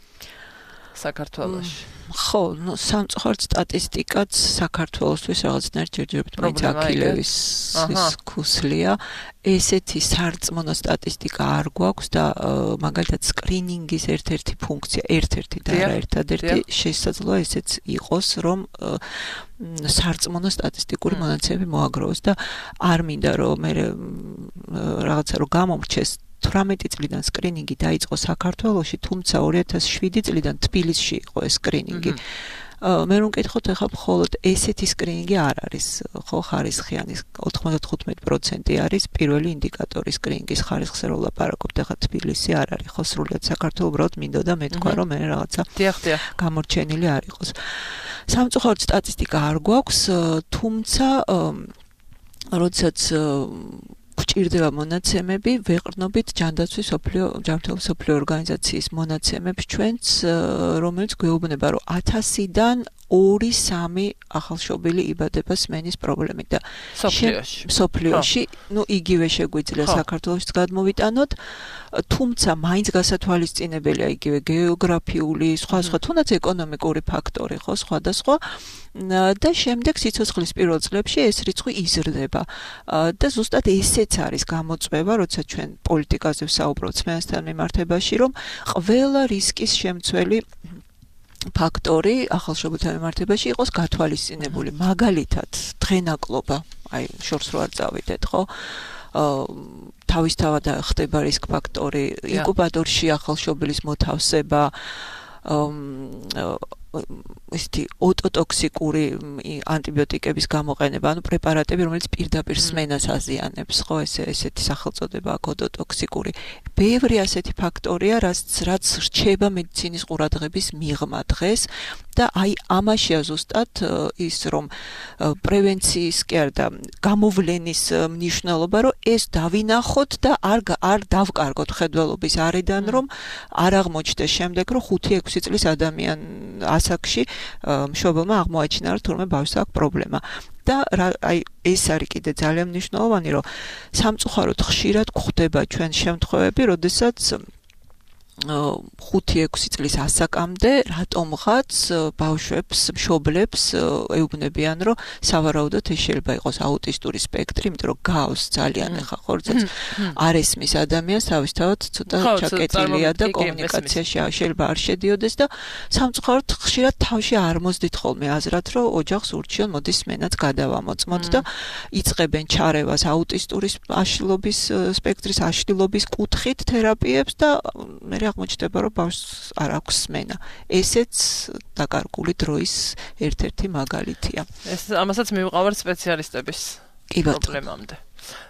საქართველოში. ხო, სამწუხაროდ სტატისტიკაც საქართველოსთვის რაღაცნაირად ჯერჯერობით მაინც აქილევის ქუსლია. ესეთი სარწმუნო სტატისტიკა არ გვაქვს და მაგალითად სკრინინგის ერთ-ერთი ფუნქცია, ერთ-ერთი და არა ერთადერთი შესაძლოა ესეც იყოს, რომ სარწმუნო სტატისტიკური მონაცემები მოაგროვოს და არ მინდა რომ მე რაღაცა რომ გამომრჩეს 18 წლიდან სკრინინგი დაიწყო საქართველოში, თუმცა 2007 წლიდან თბილისში იყო ეს სკრინინგი. მე რომ მკითხოთ, ახლა მხოლოდ ესეთი სკრინინგი არ არის, ხო, ხარისხიანი 95% არის პირველი ინდიკატორი სკრინინგის ხარისხზე რომ ლაპარაკობთ, ახლა თბილისი არ არის, ხო, სრულად საქართველო უბრალოდ მინდოდა მეთქვა, რომ მე რაღაცა გამორჩენილი არ იყოს. სამწუხაროდ სტატისტიკა არ გვაქვს, თუმცა როდესაც გვჭირდება მონაცემები, ვეყრდნობით ჯანდაცვის ჯანმრთელობის მსოფლიო ორგანიზაციის მონაცემებს ჩვენც, რომელიც გვეუბნება, რომ 1000-დან 2-3 ახალშობილი იბადება სმენის პრობლემით და მსოფლიოში, იგივე შეგვიძლია საქართველოშიც გადმოვიტანოთ, თუმცა მაინც გასათვალისწინებელია იგივე გეოგრაფიული, სხვა, თუნდაც ეკონომიკური ფაქტორი, ხო, სხვადასხვა და შემდეგ სიცოცხლის პირველ წლებში ეს რიცხვი იზრდება და ზუსტად ესეც არის გამოწვევა, როცა ჩვენ პოლიტიკაზე ვსაუბრობთ სმენასთან მიმართებაში, რომ ყველა რისკის შემცველი ფაქტორი ახალშობილთა მიმართებაში იყოს გათვალისწინებული. მაგალითად, დღენაკლობა, აი, შორს რო არ წავიდეთ, ხო? თავისთავად ხდება რისკ ფაქტორი, ინკუბატორში ახალშობილის მოთავსება, ესეთი ოტოტოქსიკური ანტიბიოტიკების გამოყენება, ანუ პრეპარატები, რომელიც პირდაპირ სმენას აზიანებს, ხო, ესეთი სახელწოდება აქვს ოტოტოქსიკური. ბევრი ასეთი ფაქტორია, რაც რჩება მედიცინის ყურადღების მიღმა დღეს და აი ამაშია ზუსტად ის რომ პრევენციის კი არა და გამოვლენის მნიშვნელობა, რომ ეს დავინახოთ და არ დავკარგოთ ხედველობის არიდან, რომ არ აღმოჩნდეს შემდეგ, რომ 5-6 წლის ადამიან ასაკში მშობელმა აღმოაჩინა, რომ თურმე ბავშვს აქვს პრობლემა. და აი ეს არის კიდე ძალიან მნიშვნელოვანი, რომ სამწუხაროდ ხშირად გვხვდება ჩვენ შემთხვევები, როდესაც 5-6 წლის ასაკამდე რატომღაც ბავშვებს, მშობლებს ეუბნებიან, რომ სავარაუდოდ ეს შეიძლება იყოს აუტისტური სპექტრი, იმიტომ რომ გავს ძალიან ახლა ხორცაც არ ესმის ადამიანს, თავისთავად ცოტა ჩაკეტილია და კომუნიკაციაში შეიძლება არ შედიოდეს და სამწუხაროდ ხშირად თავში არ მოსდით ხოლმე აზრად, რომ ოჯახს ურჩიონ, მოდის მენაც გადავამოწმოთ და იწყებენ ჩარევას აუტისტური აშლილობის სპექტრის აშლილობის კუთხით თერაპიებს და მე აღმოჩნდება, რომ ბავშვს არ აქვს სმენა. ესეც დაკარგული დროის ერთ-ერთი მაგალითია. ეს ამასაც მივყავართ სპეციალისტების პრობლემამდე.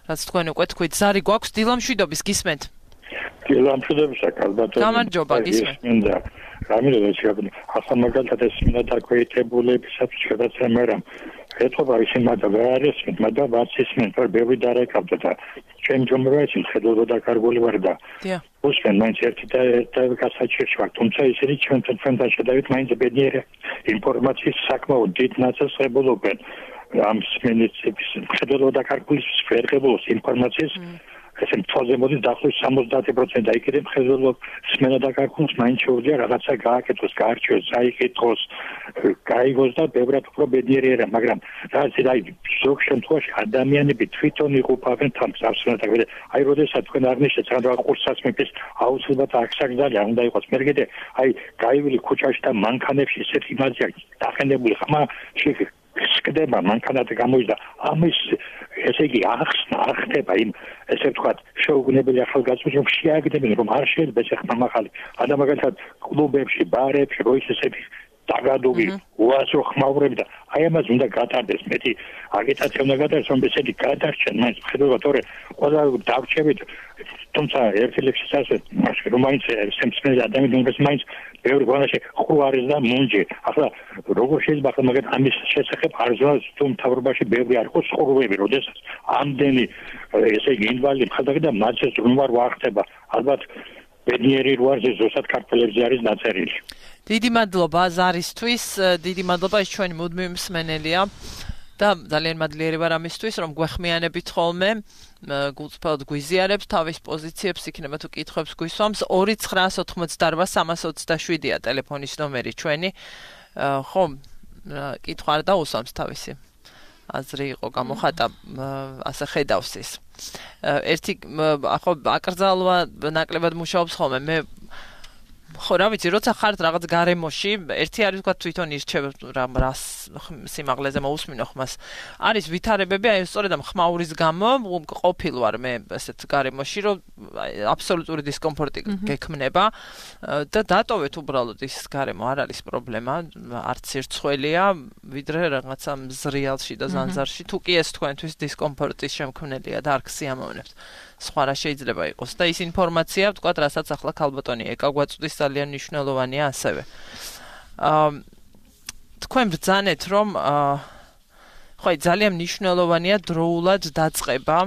რაც თქვენ უკვე თქვით, ზარი გვაქვს დილამშვიდობის გისმენთ? დილამშვიდობის ალბათ. გამარჯობა გისმენთ. რამე შეიძლება ახლა მაგალითად ეს მინდა დაქვეითებულებისას შედაცემა რამ ეთქობა ისინი მაგრამ არ ისმენ, მაგრამ ვაცისმენ, რომ ბევრი დარეკავდა და ჩემ ჯომროებში ხედავდა დაკარგული ვარ და უსმენ მაინც ერთი და გასაჩერში ვარ, თუმცა ისინი ჩვენთან შედავით მაინც ბედნიერი ინფორმაციის საკმაოდ დიდ ნაწილს ღებულობენ ამ სმენის ხედავდა დაკარგული სფერღებულოს ინფორმაციის ესე მთვაზე მოდის დაახლოებით 70% და იქიდან ხედავდა სმენა დაკარგულს მაინც შეუძლია რაღაცა გააკეთოს, გაარჩიოს, წაიკითხოს, გაიგოს და ბევრად უფრო ბედნიერი არა, მაგრამ რაც აი ზოგ შემთხვევაში ადამიანები თვითონ იყოფავენ თავს ავსნათაგ. აი როდესაც თქვენ არნიშნეთ რა ყურსაც მეფის აუცილებლად აქსაგზალია უნდა იყოს. მე კიდე აი გაივილი ქუჩაში და მანქანებში ესეთ იმაზია დახენებული ხმა შეგდება მანქანად გამოიძა ამის ესე იგი არ ხდება იმ ესე ვთქვათ შეუგნებელი ახალგაზრდებს რომ შეაგდებენ რომ არ შეიძლება ეს ხმა მაღალი ადა მაგალითად კლუბებში ბარებში რო ისეთი დაგადული უასო ხმაურები და აი ამას უნდა გატარდეს მეტი აგიტაცია უნდა გატარდეს რომ ესეთი გადარჩენ მაინც ხედავთ თორე ყველა დავრჩებით თუმცა ერთი ლექსის ასე რომ მაინც სემსმენი ადამიანებს მაინც ბევრი გვანაში ხუ არის და მუნჯი ახლა როგორ შეიძლება ახლა მაგათ ამის შესახებ არზვას თუ მთავრობაში ბევრი არ იყოს ხურვები როდესაც ამდენი ესე იგი ინვალიდი ხალხი და მათს რომ არ ვახტება ალბათ ბედნიერი როარზე ზუსტად ქართველებზე არის დაწერილი. დიდი მადლობა ზარისთვის, დიდი მადლობა ის ჩვენი მუდმივი მსმენელია და ძალიან მადლიერი ვარ ამისთვის, რომ გვეხმიანებით ხოლმე, გულწრფელად გვიზიარებს თავის პოზიციებს, იქნება თუ კითხვებს გვისვამს 2988327-ია ტელეფონის ნომერი ჩვენი. ხო, კითხვა არ დაუსვამს თავისი. აზრი იყო გამოხატა, ასე ხედავს ის. ერთი ხო აკრძალვა ნაკლებად მუშაობს ხოლმე მე ხო რა ვიცი როცა ხართ რაღაც გარემოში ერთი არის თქვა თვითონ ირჩევ რას სიმაღლეზე მოусმინო ხმას არის ვითარებები აი სწორედ ამ ხმაურის გამო ყოფილ ვარ მე ესეთ გარემოში რომ აბსოლუტური დისკომფორტი გექმნება და დატოვეთ უბრალოდ ის გარემო არ არის პრობლემა არც სირცხველია ვიდრე რაღაცა მზრიალში და ზანზარში თუ კი ეს თქვენთვის დისკომფორტის შემქმნელია და არ გსიამოვნებთ სხვა რა შეიძლება იყოს და ის ინფორმაცია ვთქვათ რასაც ახლა ქალბატონი ეკა გვაწვდის ძალიან მნიშვნელოვანია ასევე თქვენ ბრძანეთ რომ ხო ძალიან მნიშვნელოვანია დროულად დაწყება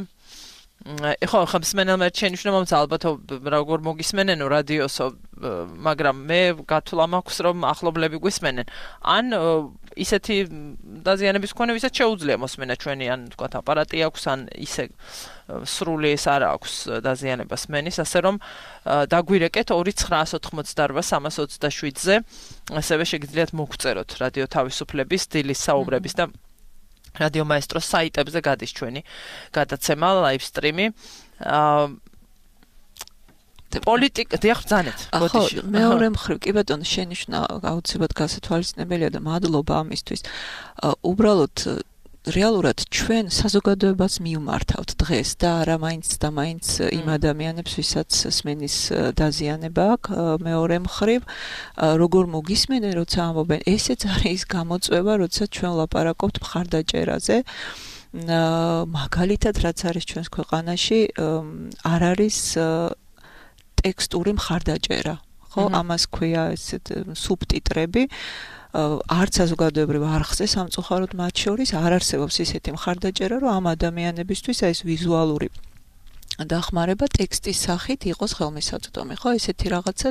ხო ხმსმენელმა შენიშნულმა ალბათ როგორ მოგისმენენ რადიოსო მაგრამ მე გათვლა მაქვს რომ ახლობლები გვისმენენ ან ისეთი დაზიანების მქონე ვისაც შეუძლია მოსმენა ჩვენი ან ვთქვათ აპარატი აქვს ან ისე სრული ეს არ აქვს დაზიანება სმენის ასე რომ დაგვირეკეთ 2988327-ზე ასევე შეგიძლიათ მოგწეროთ რადიო თავისუფლების დილის საუბრების და რადიო მაესტროს საიტებზე გადის ჩვენი გადაცემა ლაივ სტრიმი პოლიტიკა დიახ ბრძანეთ ბოდიში მეორე მხრივ კი ბატონო შენიშნა აუცილებლად გასათვალისწინებელია და მადლობა ამისთვის უბრალოდ რეალურად ჩვენ საზოგადოებას მივმართავთ დღეს და არა მაინც და მაინც იმ ადამიანებს ვისაც სმენის დაზიანება აქვს მეორე მხრივ როგორ მოგისმენენ როცა ამბობენ ესეც არის გამოწვევა როცა ჩვენ ვლაპარაკობთ მხარდაჭერაზე მაგალითად რაც არის ჩვენს ქვეყანაში არ არის ტექსტური მხარდაჭერა. ხო, ამას ქვია ესეთ სუბტიტრები. არც საზოგადოებრივ არხზე სამწუხაროდ მათ შორის არ არსებობს ისეთი მხარდაჭერა, რომ ამ ადამიანებისთვის ეს ვიზუალური დახმარება ტექსტის სახით იყოს ხელმისაწვდომი. ხო, ესეთი რაღაცა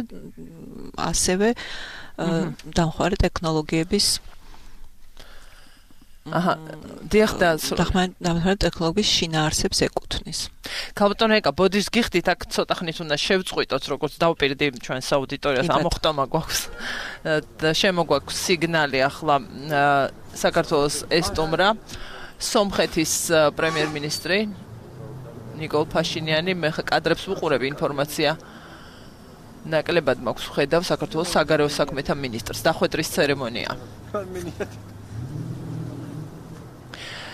ასევე დამხმარე ტექნოლოგიების დიახ და დამხმარე ტექნოლოგიის შინაარსებს ეკუთვნის. ქალბატონო ეკა, ბოდიშს გიხდით, აქ ცოტა ხნით უნდა შევწყვიტოთ, როგორც დავუპირდი ჩვენს აუდიტორიას, ამოხტომა გვაქვს და შემოგვაქვს სიგნალი ახლა საქართველოს ესტუმრა, სომხეთის პრემიერ-მინისტრი ნიკოლ ფაშინიანი, მე კადრებს ვუყურებ ინფორმაცია ნაკლებად მაქვს ხედავ საქართველოს საგარეო საქმეთა მინისტრს, დახვედრის ცერემონია.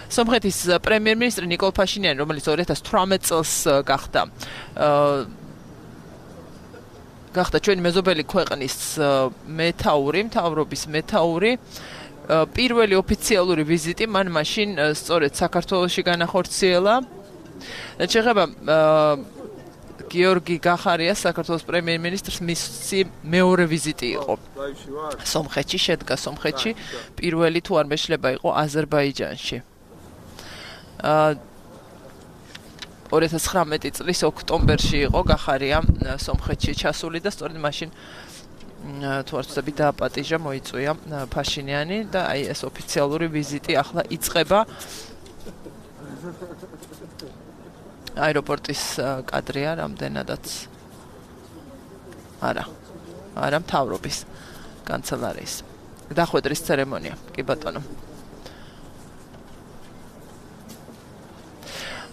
სომხეთის პრემიერ-მინისტრი ნიკოლ ფაშინიანი, რომელიც 2018 წელს გახდა ჩვენი მეზობელი ქვეყნის მეთაური, მთავრობის მეთაური, პირველი ოფიციალური ვიზიტი მან მაშინ სწორედ საქართველოში განახორციელა. შეეხება გიორგი გახარიას, საქართველოს პრემიერ-მინისტრს, მისი მეორე ვიზიტი იყო სომხეთში, შედგა სომხეთში, პირველი თუ არ მეშლება იყო აზერბაიჯანში. 2019 წლის ოქტომბერში იყო გახარია სომხეთში ჩასული და სწორედ მაშინ თუ არ ვცდები დააპატიჟა, მოიწვია ფაშინიანი და აი ეს ოფიციალური ვიზიტი ახლა იწყება. აეროპორტის კადრია რამდენადაც არა მთავრობის კანცელარიის დახვედრის ცერემონია. კი ბატონო.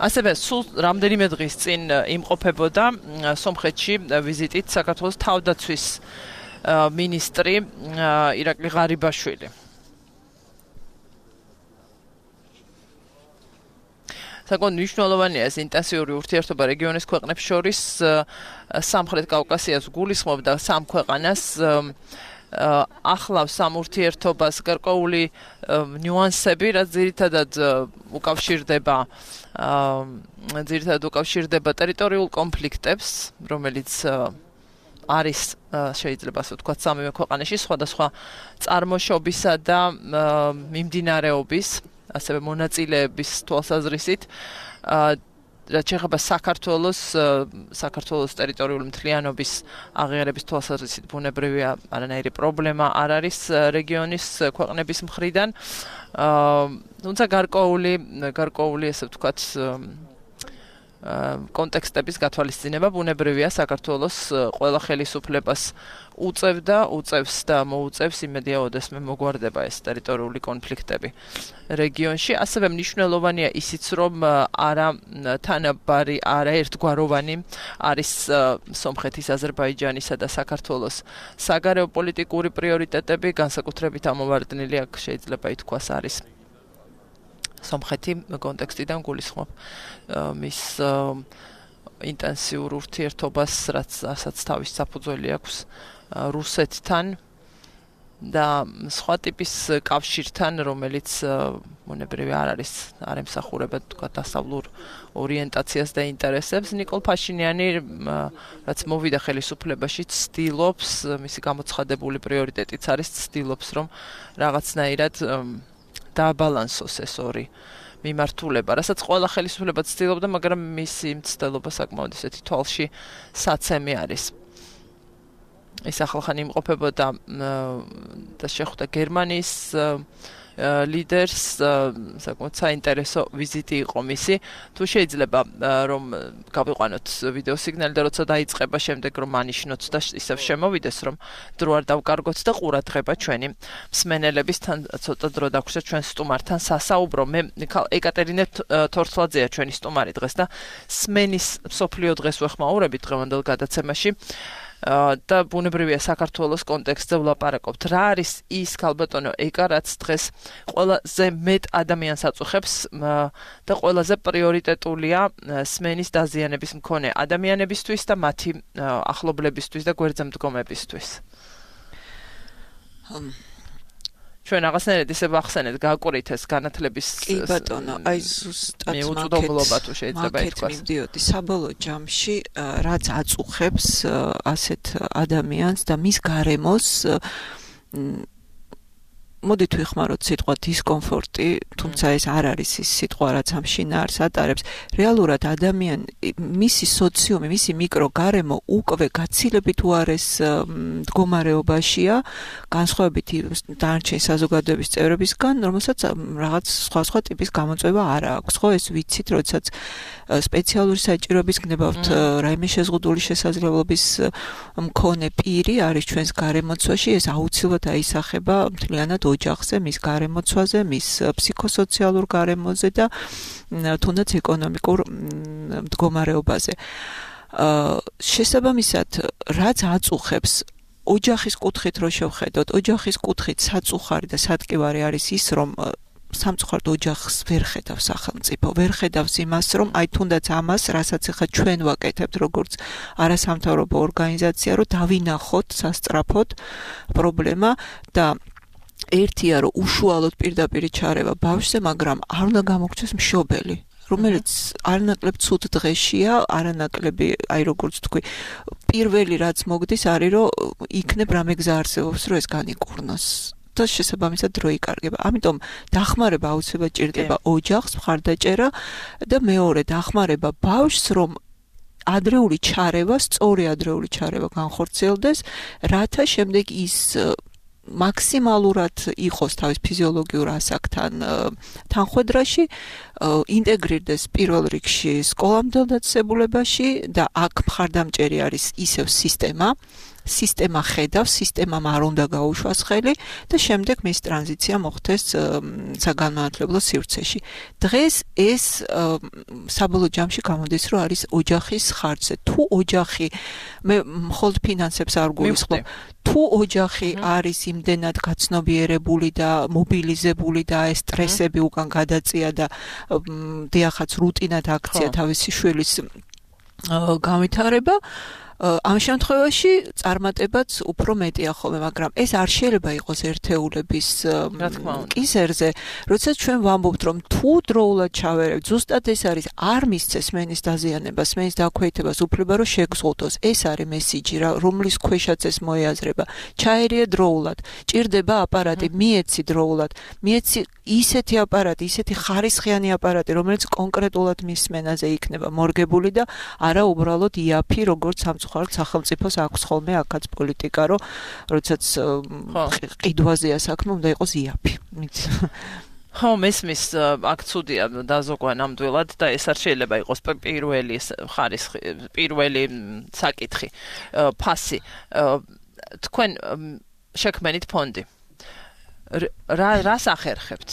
ასევე სულ რამდენიმე დღის წინ იმყოფებოდა სომხეთში ვიზიტით საქართველოს თავდაცვის მინისტრი ირაკლი ღარიბაშვილი. საკმაოდ მნიშვნელოვანია ეს ინტენსიური ურთიერთობა რეგიონის ქვეყნებს შორის, სამხრეთ კავკასიას გულისხმობდა სამ ქვეყანას, ახლავს ამ ურთიერთობას გარკვეული ნიუანსები, რაც ძირითადად უკავშირდება ტერიტორიულ კონფლიქტებს, რომელიც არის შეიძლება ასე ვთქვათ სამივე ქვეყანაში სხვადასხვა წარმოშობისა და მიმდინარეობის, ასევე მონაწილეების თვალსაზრისით, რაც შეეხება საქართველოს ტერიტორიული მთლიანობის აღიარების თვალსაზრისით ბუნებრივია არანაირი პრობლემა არ არის რეგიონის ქვეყნების მხრიდან. თუმცა გარკვეული ასე ვთქვათ კონტექსტების გათვალისწინება ბუნებრივია საქართველოს ყველა ხელისუფლებას უწევს და მოუწევს იმედია ოდესმე მოგვარდება ეს ტერიტორიული კონფლიქტები რეგიონში. ასევე მნიშვნელოვანია ისიც, რომ არა თანაბარი, არა ერთგვაროვანი არის სომხეთის, აზერბაიჯანისა და საქართველოს საგარეო პოლიტიკური პრიორიტეტები, განსაკუთრებით ამოვარდნილი აქ შეიძლება ითქვას არის სომხეთი კონტექსტიდან გულისხმობ მის ინტენსიურ ურთიერთობას, რასაც თავის საფუძველი აქვს რუსეთთან და სხვა ტიპის კავშირთან, რომელიც მონებრივი არ ემსახურება თქვა დასავლურ ორიენტაციას და ინტერესებს. ნიკოლ ფაშინიანი, რაც მოვიდა ხელისუფლებაში, ცდილობს, მისი გამოცხადებული პრიორიტეტიც არის, ცდილობს, რომ რაღაცნაირად დააბალანსოს ეს ორი მიმართულება, რასაც ყველა ხელისუფლება ცდილობდა, მაგრამ მისი მცდელობა საკმაოდ ისეთი თვალში საცემი არის. ის ახლახან იმყოფებოდა და შეხვდა გერმანიის ლიდერს, საკმაოდ საინტერესო ვიზიტი იყო მისი. თუ შეიძლება რომ გავიყვანოთ ვიდეო სიგნალი და როცა დაიწყება შემდეგ რომ ანიშნოთ და ისევ შემოვიდეს, რომ დრო არ დავკარგოთ და ყურადღება ჩვენი მსმენელების თან ცოტა დრო დაგვჭირდა ჩვენ სტუმართან სასაუბრო. მე ეკატერინე თორცლაძეა ჩვენი სტუმარი დღეს და სმენის მსოფლიო დღეს ვეხმაურებით დღევანდელ გადაცემაში. და ბუნებრივია საქართველოს კონტექსტზე ვლაპარაკობთ. რა არის ის ქალბატონო ეკა, რაც დღეს ყველაზე მეტ ადამიანს აწუხებს და ყველაზე პრიორიტეტულია სმენის დაზიანების მქონე ადამიანებისთვის და მათი ახლობლებისთვის და გვერდზე მდგომებისთვის? ჩვენ რაღაცნაირად ისე ვახსენეთ გაკვირით ეს განათლების კი ბატონო, აი ზუსტად მიუწვდომლობა თუ შეიძლება ითქვას. მივდიოდი საბოლოო ჯამში, რაც აწუხებს ასეთ ადამიანს და მის გარემოს მოდით ვიხმაროთ სიტყვა დისკომფორტი, თუმცა ეს არ არის ის სიტყვა, რაც ამ შინაარს ატარებს. რეალურად ადამიანი, მისი სოციუმი, მისი მიკროგარემო უკვე გაცილებით უარეს მდგომარეობაშია, განსხვავებით დანარჩენი საზოგადოების წევრებისგან, რომელსაც რაღაც სხვა ტიპის გამოწვევა არ აქვს. ხო, ეს ვიცით, როდესაც სპეციალური საჭიროების გნებავთ რაიმე შეზღუდული შესაძლებლობის მქონე პირი არის ჩვენს გარემოცვაში, ეს აუცილებლად აისახება მთლიანად ოჯახზე, მის გარემოცვაზე, მის ფსიქოსოციალურ გარემოზე და თუნდაც ეკონომიკურ მდგომარეობაზე. შესაბამისად, რაც აწუხებს ოჯახის კუთხით რო შევხედოთ, ოჯახის კუთხით საწუხარი და სატკივარი არის ის, რომ სამწუხაროდ ოჯახს ვერ ხედავს სახელმწიფო, ვერ ხედავს იმას, რომ აი თუნდაც ამას, რასაც ახლა ჩვენ ვაკეთებთ, როგორც არასამთავრობო ორგანიზაცია, რომ დავინახოთ სასწრაფოდ პრობლემა და ერთია, რომ უშუალოდ პირდაპირ ჩარევა ბავშვზე, მაგრამ არ უნდა გამოგჩეს მშობელი, რომელიც არანაკლებ ცუდ დღეშია, არანაკლები, აი როგორც თქვი, პირველი რაც მოგდის არის, რომ იქნებ რამე გზა არსებობს, რომ ეს განიკურნოს. და შესაბამისად დრო იკარგება. ამიტომ დახმარება აუცილებლად ჭირდება ოჯახს, მხარდაჭერა და მეორე დახმარება ბავშვს, რომ ადრეული ჩარევა, სწორი ადრეული ჩარევა განხორციელდეს, რათა შემდეგ ის მაქსიმალურად იყოს თავის ფიზიოლოგიურ ასაკთან თანხვედრაში, ინტეგრირდეს პირველ რიგში სკოლამდელ დაწესებულებაში და აქ მხარდამჭერი არის ისევ სისტემა ხედავს, სისტემამ არ უნდა გაუშვას ხელი და შემდეგ მის ტრანზიცია მოხდეს საგანმანათლებლო სივრცეში. დღეს ეს საბოლოო ჯამში გამოდის, რომ არის ოჯახის ხარჯზე. თუ ოჯახი, მე მხოლოდ ფინანსებს არ გულისხმობ, თუ ოჯახი არის იმდენად გაცნობიერებული და მობილიზებული და ეს სტრესები უკან გადაწია და დიახაც რუტინად აქცია თავისი შვილის განვითარება, ამ შემთხვევაში წარმატებაც უფრო მეტია ხოლმე, მაგრამ ეს არ შეიძლება იყოს ერთეულების კისერზე, როდესაც ჩვენ ვამბობთ, რომ თუ დროულად ჩავერევთ, ზუსტად ეს არის, არ მისცეს მენის დაზიანებას, მენის დაქვეითებას, უფლება რომ შეგზღუდოს. ეს არის მესიჯი, რომლის ქვეშაც ეს მოიაზრება. ჩაერიე დროულად, ჭირდება აპარატი, მიეცი დროულად, მიეცი ისეთი აპარატი, ისეთი ხარისხიანი აპარატი, რომელიც კონკრეტულად მის სმენაზე იქნება მორგებული და არა უბრალოდ იაფი, როგორც სამწუხაროდ სახელმწიფოს აქვს ხოლმე აქაც პოლიტიკა, რომ როდესაც ყიდვაზეა საქმე, უნდა იყოს იაფი. ხო, მესმის აქ ცუდია დაზოგვა ნამდვილად და ეს არ შეიძლება იყოს პირველი ხარისხი, პირველი საკითხი, ფასი. თქვენ შექმენით ფონდი. რას ახერხებთ?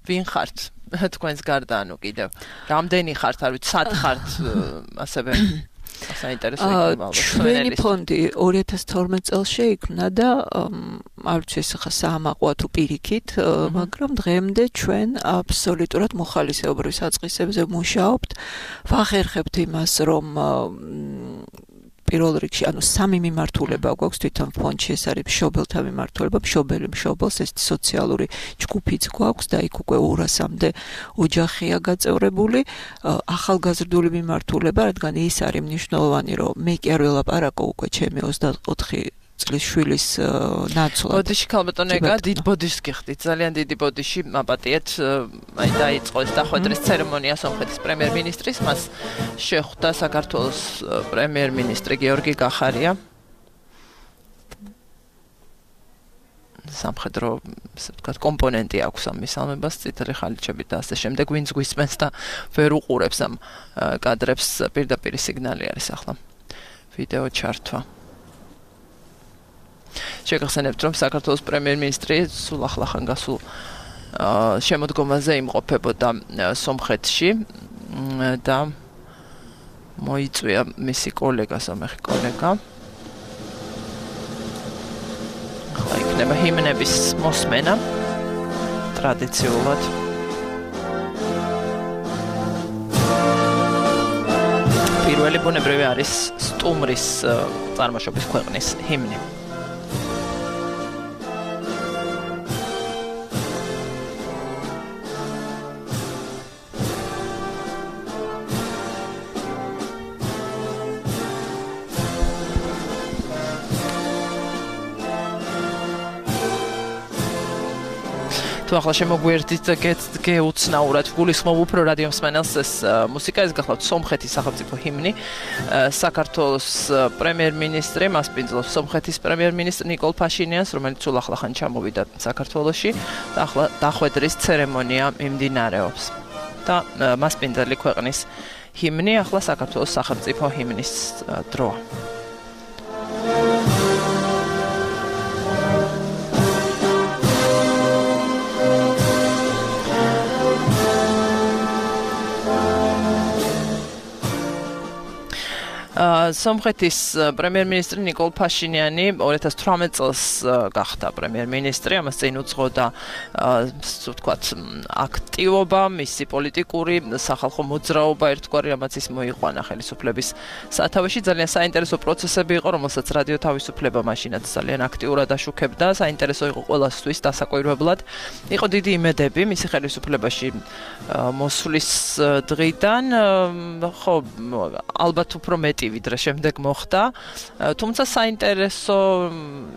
ვინ ხართ? თქვენს გარდა, ანუ კიდევ რამდენი ხართ, არ ვიცი, სად ხართ, ასევე საინტერესო იქნება. ჩვენი ფონდი 2012 წელს შეიქმნა და არ ვიცი ეს ხა საამაყოა თუ პირიქით, მაგრამ დღემდე ჩვენ აბსოლუტურად მოხალისეობრივ საწყისებზე მუშაობთ. ვახერხებთ იმას, რომ პირველ რიგში, ანუ სამი მიმართულება გვაქვს თვითონ ფონდში, ეს არის მშობელთა მიმართულება, მშობელი მშობელს, ეს სოციალური ჯგუფიც გვაქვს და იქ უკვე 200-მდე ოჯახია გაწევრებული, ახალგაზრდული მიმართულება, რადგან ის არის მნიშვნელოვანი, რომ მე კი არ ველაპარაკო უკვე ჩემი 24 წლის შვილის ნაცვლად. ბოდიში ქალბატონო ეგა დიდ ბოდიშს გიხდით, ძალიან დიდი ბოდიში მაპატიეთ, აი დაიწყო ეს დახვედრის ცერემონია სომხეთის პრემიერ-მინისტრის, მას შეხვდა საქართველოს პრემიერ-მინისტრი გიორგი გახარია. სამხედრო, ასე ვთქვათ, კომპონენტი აქვს ამ მისალმებას, წითელი ხალიჩებით და ასე შემდეგ, ვინც გვისმენს და ვერ უყურებს ამ კადრებს, პირდაპირ სიგნალი არის ახლა. ვიდეო ჩართვა. შეგახსენებთ, რომ საქართველოს პრემიერ-მინისტრი სულ ახლახან გასულ შემოდგომაზე იმყოფებოდა სომხეთში და მოიწვია მისი კოლეგა, სომეხი კოლეგა. ახლა იქნება ჰიმნების მოსმენა ტრადიციულად. პირველი ბუნებრივი არის სტუმრის წარმოშობის ქვეყნის ჰიმნი. თუ ახლა შემოგვიერთდით გეუცნაურად გულისხმობ უფრო რადიო მსმენელს ეს მუსიკა ეს გახლავთ სომხეთის სახელმწიფო ჰიმნი საქართველოს პრემიერ-მინისტრი მას პინძლობს სომხეთის პრემიერ-მინისტრი ნიკოლ ფაშინიანს რომელიც სულ ახლახან ჩამოვიდა საქართველოში და ახლა დახვედრის ცერემონია მიმდინარეობს და მასპინძელი ქვეყნის ჰიმნი ახლა საქართველოს სახელმწიფო ჰიმნის დროა სომხეთის პრემიერ-მინისტრი ნიკოლ ფაშინიანი 2018 წელს გახდა პრემიერ-მინისტრი, ამას წინ უძღოდა ვთქვათ აქტივობა, მისი პოლიტიკური სახალხო მოძრაობა ერთგვარი, რამაც ის მოიყვანა ხელისუფლების სათავეში. ძალიან საინტერესო პროცესები იყო, რომელსაც რადიო თავისუფლება მაშინაც ძალიან აქტიურად აშუქებდა. საინტერესო იყო ყველასთვის დასაკვირვებლად. იყო დიდი იმედები მისი ხელისუფლებაში მოსვლის დღიდან, ხო, ალბათ უფრო მეტი ვიდრე შემდეგ მოხდა. თუმცა საინტერესო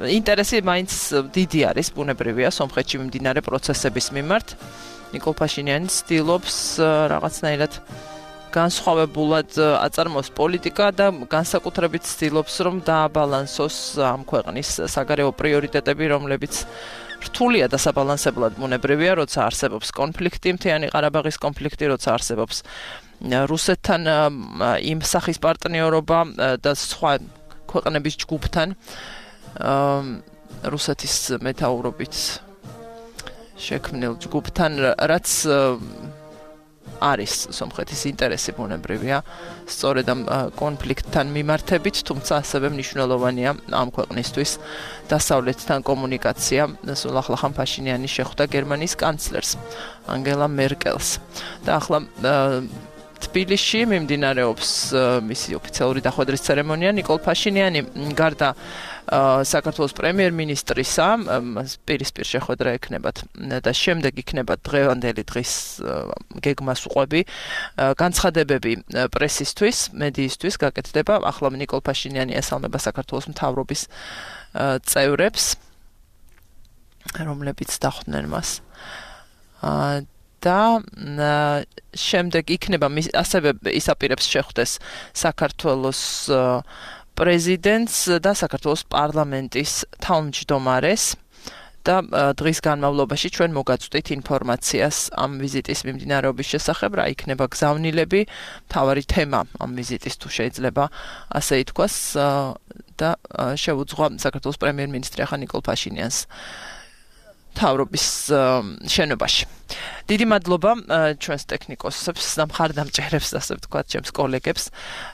ინტერესი მაინც დიდი არის, ბუნებრივია სომხეთში მიმდინარე პროცესების მიმართ. ნიკოლ ფაშინიანი ცდილობს რაღაცნაირად განსხვავებულად აწარმოოს პოლიტიკა და განსაკუთრებით ცდილობს რომ დააბალანსოს ამ ქვეყნის საგარეო პრიორიტეტები, რომლებიც რთულია დასაბალანსებლად ბუნებრივია, როცა არსებობს კონფლიქტი, მთიანი ყარაბაღის კონფლიქტი, როცა არსებობს რუსეთთან იმ სახის პარტნიორობა და სხვა ქვეყნების ჯგუფთან რუსეთის მეთაურობით შექმნილ ჯგუფთან რაც არის სომხეთის ინტერესი ბუნებრივია სწორედ ამ კონფლიქტთან მიმართებით, თუმცა ასევე მნიშვნელოვანია ამ ქვეყნისთვის დასავლეთთან კომუნიკაცია. სულ ახლახან ფაშინიანი შეხვდა გერმანიის კანცლერს ანგელა მერკელს და ახლა თბილისში მიმდინარეობს მისი ოფიციალური დახვედრის ცერემონია. ნიკოლ ფაშინიანი გარდა საქართველოს პრემიერ-მინისტრისა პირისპირ შეხვედრა ექნებათ და შემდეგ იქნება დღევანდელი დღის გეგმას უყვები განცხადებები პრესისთვის, მედიისთვის გაკეთდება. ახლა ნიკოლ ფაშინიანი ესალმება საქართველოს მთავრობის წევრებს, რომლებიც დახვდნენ მას. და შემდეგ იქნება ასევე ისაპირებს შეხვდეს საქართველოს პრეზიდენტს და საქართველოს პარლამენტის თავმჯდომარეს და დღის განმავლობაში ჩვენ მოგაწვდით ინფორმაციას ამ ვიზიტის მიმდინარეობის შესახებ, რა იქნება გზავნილები, მთავარი თემა ამ ვიზიტის თუ შეიძლება ასე ითქვას და შეუძღვა საქართველოს პრემიერ-მინისტრი ახლა ნიკოლ ფაშინიანს თავრობის შენობაში. დიდი მადლობა ჩვენს ტექნიკოსებს და მხარდამჭერებს, ასე ვთქვათ, ჩემს კოლეგებს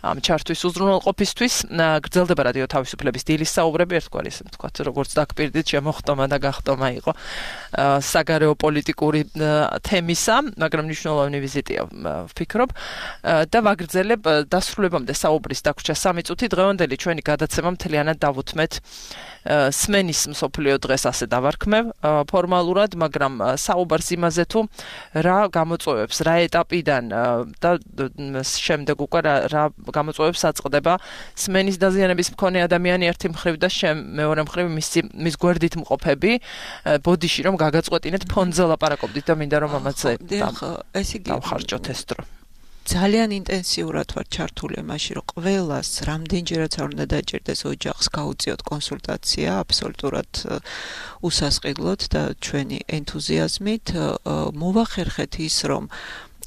ამ ჩართვის უზრუნველყოფისთვის. გრძელდება რადიო თავისუფლების დილის საუბრები, ერთგვარი ისე ვთქვათ, როგორც დაგპირდით შემოხტომა და გახტომა იყო საგარეო პოლიტიკური თემისა, მაგრამ მნიშვნელოვანი ვიზიტია ვფიქრობ და ვაგრძელებ დასრულებამდე საუბრის დაგვრჩა 3 წუთი. დღევანდელი ჩვენი გადაცემა მთლიანად დავუთმეთ სმენის მსოფლიო დღეს ასე დავარქმევ ფორმალურად, მაგრამ საუბარს იმაზე თუ რა გამოწვევებს, რა ეტაპიდან და შემდეგ უკვე რა გამოწვევებს აწყდება სმენის დაზიანების მქონე ადამიანი ერთი მხრივ და მეორე მხრივ მის გვერდით მყოფები, ბოდიში რომ გაგაწყვეტინეთ ფონზე ლაპარაკობდით და მინდა რომ ამაზე დავხარჯოთ ეს დრო. ძალიან ინტენსიურად ვარ ჩართული იმაში, რომ ყველას რამდენჯერაც არ უნდა დაჭირდეს ოჯახს გაუწიოთ კონსულტაცია, აბსოლუტურად უსასყიდლოდ და ჩვენი ენთუზიაზმით მოვახერხეთ ის, რომ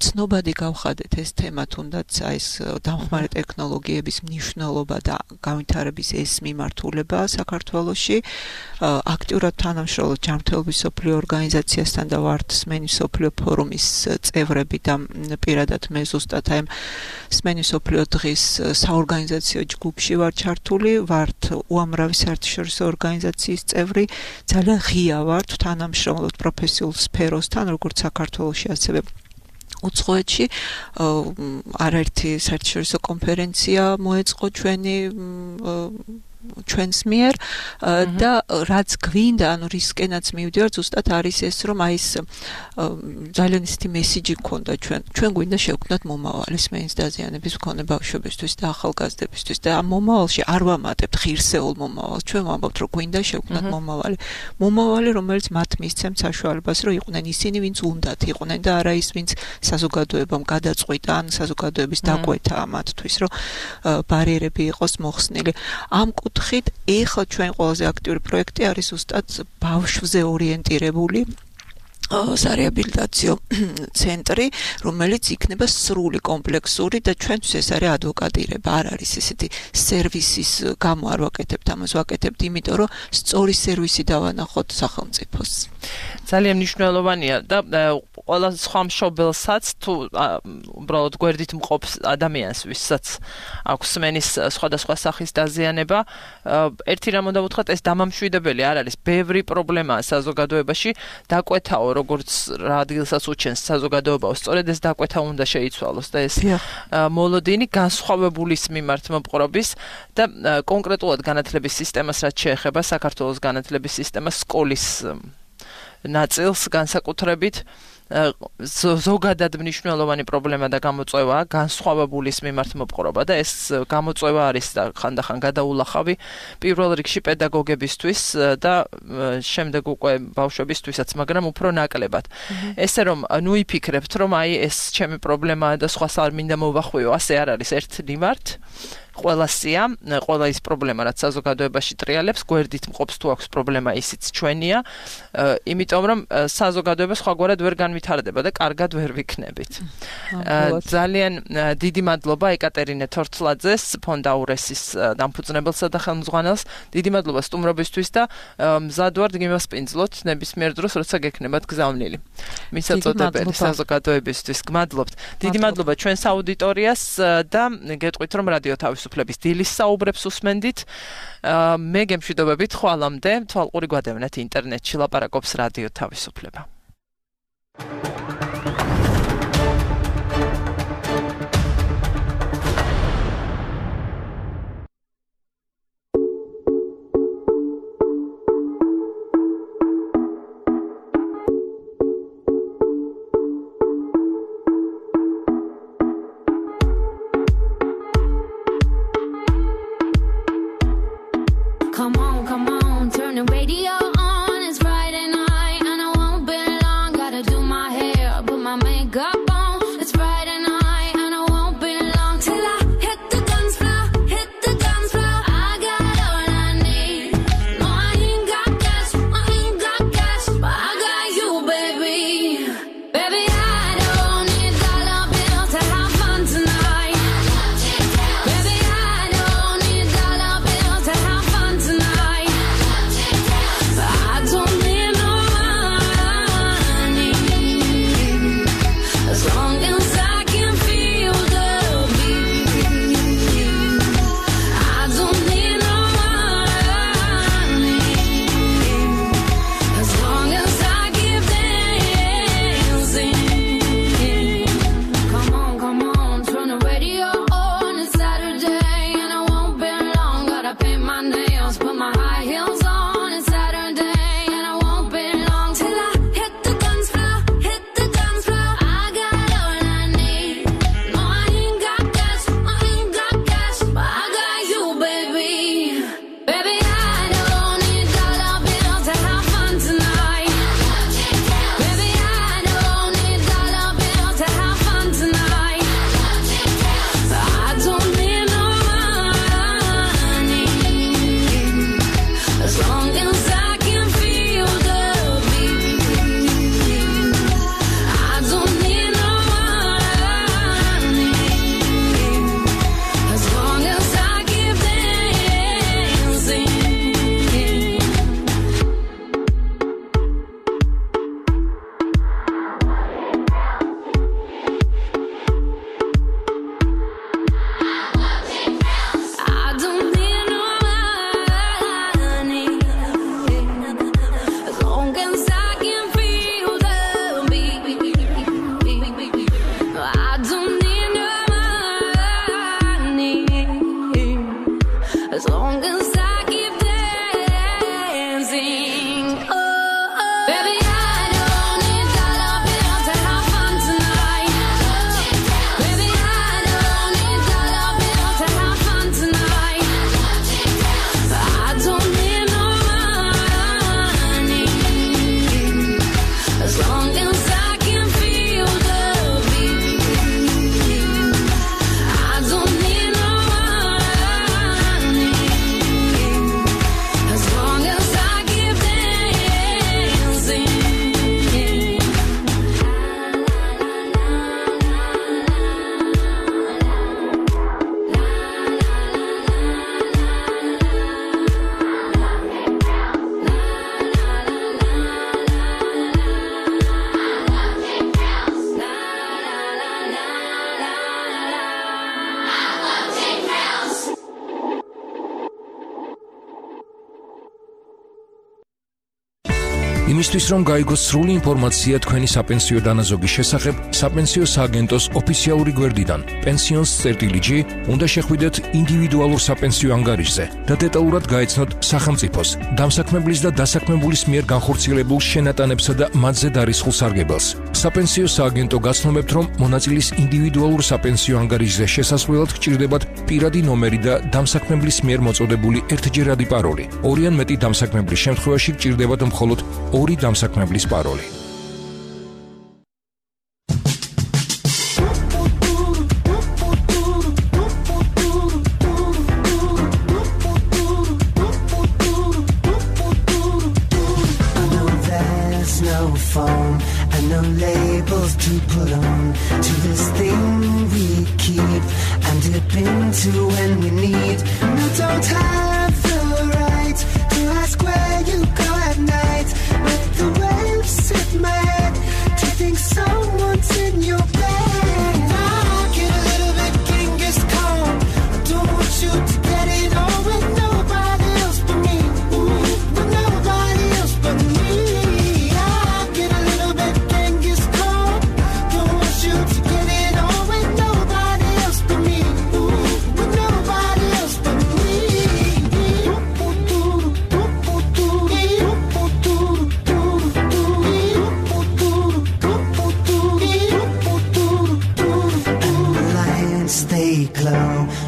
ცნობადი გავხადეთ ეს თემა, თუნდაც ეს დამხმარე ტექნოლოგიების მნიშვნელობა და განვითარების ეს მიმართულება საქართველოში. აქტიურად თანამშრომლობთ ჯანმრთელობის მსოფლიო ორგანიზაციასთან და ვართ სმენის მსოფლიო ფორუმის წევრები და პირადად მე ზუსტად აი სმენის მსოფლიო დღის საორგანიზაციო ჯგუფში ვარ ჩართული, ვართ უამრავი საერთაშორისო ორგანიზაციის წევრი, ძალიან ღია ვართ თანამშრომლობთ პროფესიულ სფეროსთან, როგორც საქართველოში, ასევე უცხოეთში არაერთი საერთაშორისო კონფერენცია მოეწყო ჩვენი ჩვენს მიერ და რაც გვინდა, ანუ რისკენაც მივდივარ, ზუსტად არის ეს, რომ აი ეს ძალიან ისეთი მესიჯი გქონდა ჩვენ გვინდა შევქმნათ მომავალი სმენის დაზიანების მქონე ბავშვებისთვის და ახალგაზრდებისთვის და ამ მომავალში არ ვამატებთ ღირსეულ მომავალს, ჩვენ ვამბობთ, რომ გვინდა შევქმნათ მომავალი, რომელიც მათ მისცემთ საშუალებას, რომ იყვნენ ისინი, ვინც უნდათ იყვნენ და არა ის, ვინც საზოგადოებამ გადაწყვიტა ან საზოგადოების დაკვეთა მათთვის, რომ ბარიერები იყოს მოხსნილი. ამ კუთხით ეხლა ჩვენ ყველაზე აქტიური პროექტი არის ზუსტად ბავშვზე ორიენტირებული სარეაბილიტაციო ცენტრი, რომელიც იქნება სრული კომპლექსური და ჩვენთვის ეს არის ადვოკატირება, არ არის ესეთი სერვისის გამო არ ვაკეთებთ ამას, ვაკეთებთ იმიტომ, რომ სწორი სერვისი დავანახოთ სახელმწიფოს. ძალიან მნიშვნელოვანია და ყველა სხვა მშობელსაც თუ უბრალოდ გვერდით მყოფ ადამიანს, ვისაც აქვს სმენის სხვადასხვა სახის დაზიანება, ერთი რამ უნდა ვუთხრათ, ეს დამამშვიდებელი არ არის. ბევრი პრობლემაა საზოგადოებაში, დაკვეთაო როგორც რა ადგილსაც უჩენს საზოგადოებაო, სწორედ ეს დაკვეთა უნდა შეიცვალოს და ეს მოლოდინი განსხვავებულის მიმართ მოპყრობის და კონკრეტულად განათლების სისტემას რაც შეეხება საქართველოს განათლების სისტემას სკოლის ნაწილს განსაკუთრებით ზოგადად მნიშვნელოვანი პრობლემა და გამოწვევაა განსხვავებულის მიმართ მოპყრობა და ეს გამოწვევა არის და ხანდახან გადაულახავი პირველ რიგში პედაგოგებისთვის და შემდეგ უკვე ბავშვებისთვისაც, მაგრამ უფრო ნაკლებად. ესე რომ ნუ იფიქრებთ, რომ აი ეს ჩემი პრობლემაა და სხვას არ მინდა მოვახვიო, ასე არ არის ერთ მიმართ. ყველასია, ყველა ის პრობლემა, რაც საზოგადოებაში ტრიალებს, გვერდით მყოფს თუ აქვს პრობლემა, ისიც ჩვენია, იმიტომ რომ საზოგადოება სხვაგვარად ვერ განვითარდება და კარგად ვერ ვიქნებით. ძალიან დიდი მადლობა ეკატერინე თორცლაძეს, ფონდაურესის დამფუძნებელსა და ხელმძღვანელს. დიდი მადლობა სტუმრობისთვის და მზად ვართ გიმასპინძლოთ ნებისმიერ დროს, როცა გექნებათ გზავნილი. მისაწოდებელი საზოგადოებისთვის. გმადლობთ. დიდი მადლობა ჩვენს აუდიტორიას და გეტყვით, რომ რადიო თავისუფლების დილის საუბრებს უსმენდით. მე გემშვიდობებით ხვალამდე, თვალყური გვადევნეთ ინტერნეტში ლაპარაკობს რადიო თავისუფლება. Come on, turn the radio on. It's Friday night and I won't be long. Gotta do my hair, put my makeup on. It's Friday night and I won't be long till I hit the dance floor, hit the dance floor. I got all I need. No, I ain't got cash, but I got you, baby. Baby, I don't need dollar bills to have fun tonight. Baby, I don't need dollar bills to have fun tonight. იმისთვის რომ გაიგოს სრული ინფორმაცია თქვენი საპენსიო დანაზოგის შესახებ, საპენსიო სააგენტოს ოფიციალური გვერდიდან pensions.gr უნდა შეხვიდეთ ინდივიდუალურ საპენსიო ანგარიშზე და დეტალურად გაეცნოთ სახელმწიფოს, დამსაქმებლის და დასაქმებულის მიერ განხორციელებულ შენატანებსა და მათზე დარისხულ სარგებელს. საპენსიო სააგენტო გაცნობებთ, რომ მონაწილის ინდივიდუალურ საპენსიო ანგარიშზე შესასვლელად გჭირდებათ პირადი ნომერი და დამსაქმებლის მიერ მოწოდებული ერთჯერადი პაროლი. ორი ან მეტი დამსაქმებლის შემთხვევაში გჭირდებათ მხოლოდ ორი დამსაქმებლის პაროლი. No labels to put on to this thing we keep and dip into when we need. No, don't have the right to ask where you go at night. Let the waves hit my head to think someone's in your bed. I get a little bit Genghis Khan. I don't want you to get it on with nobody else but me. With nobody else but me.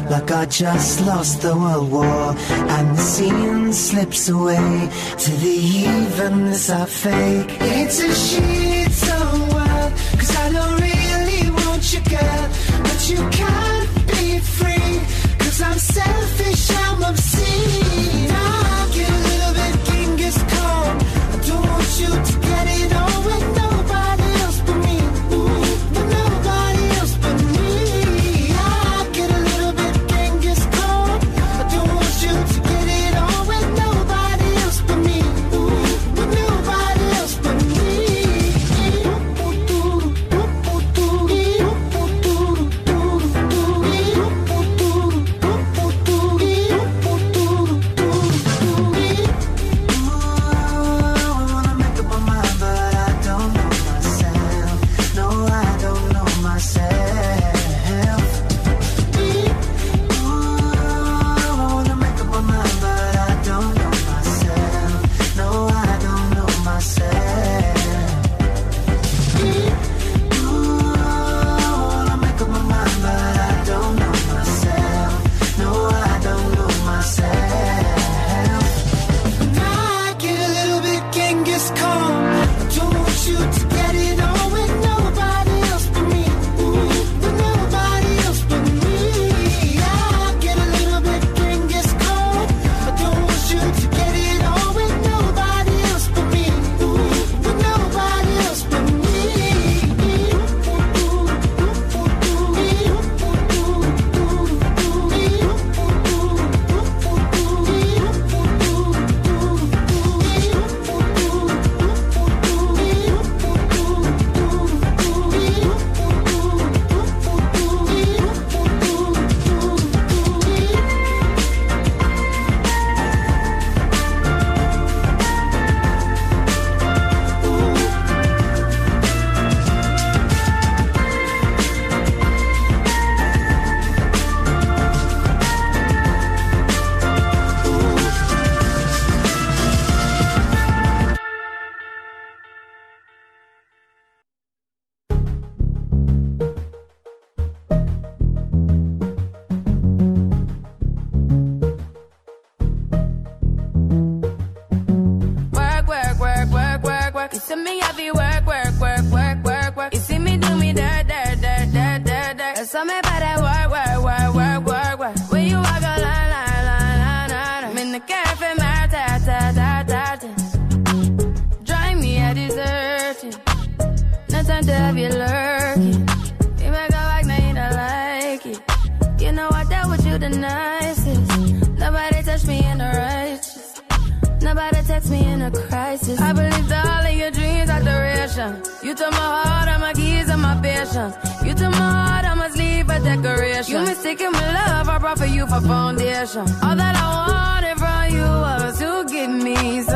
Like I just lost the World War, and the scene slips away to the evenness I fake. It's a shit-some world, 'cause I don't really want you, girl, but you can't be free, 'cause I'm selfish, I'm obscene. I get a little bit Genghis Khan. I don't want you to get it on with nobody else but me. With nobody else but me. Nobody text me in a crisis. I believed all of your dreams are duration. You took my heart, all my keys, and my patience. You took my heart, I must leave a decoration. You mistaken my love, I brought for you for foundation. All that I wanted from you was to give me some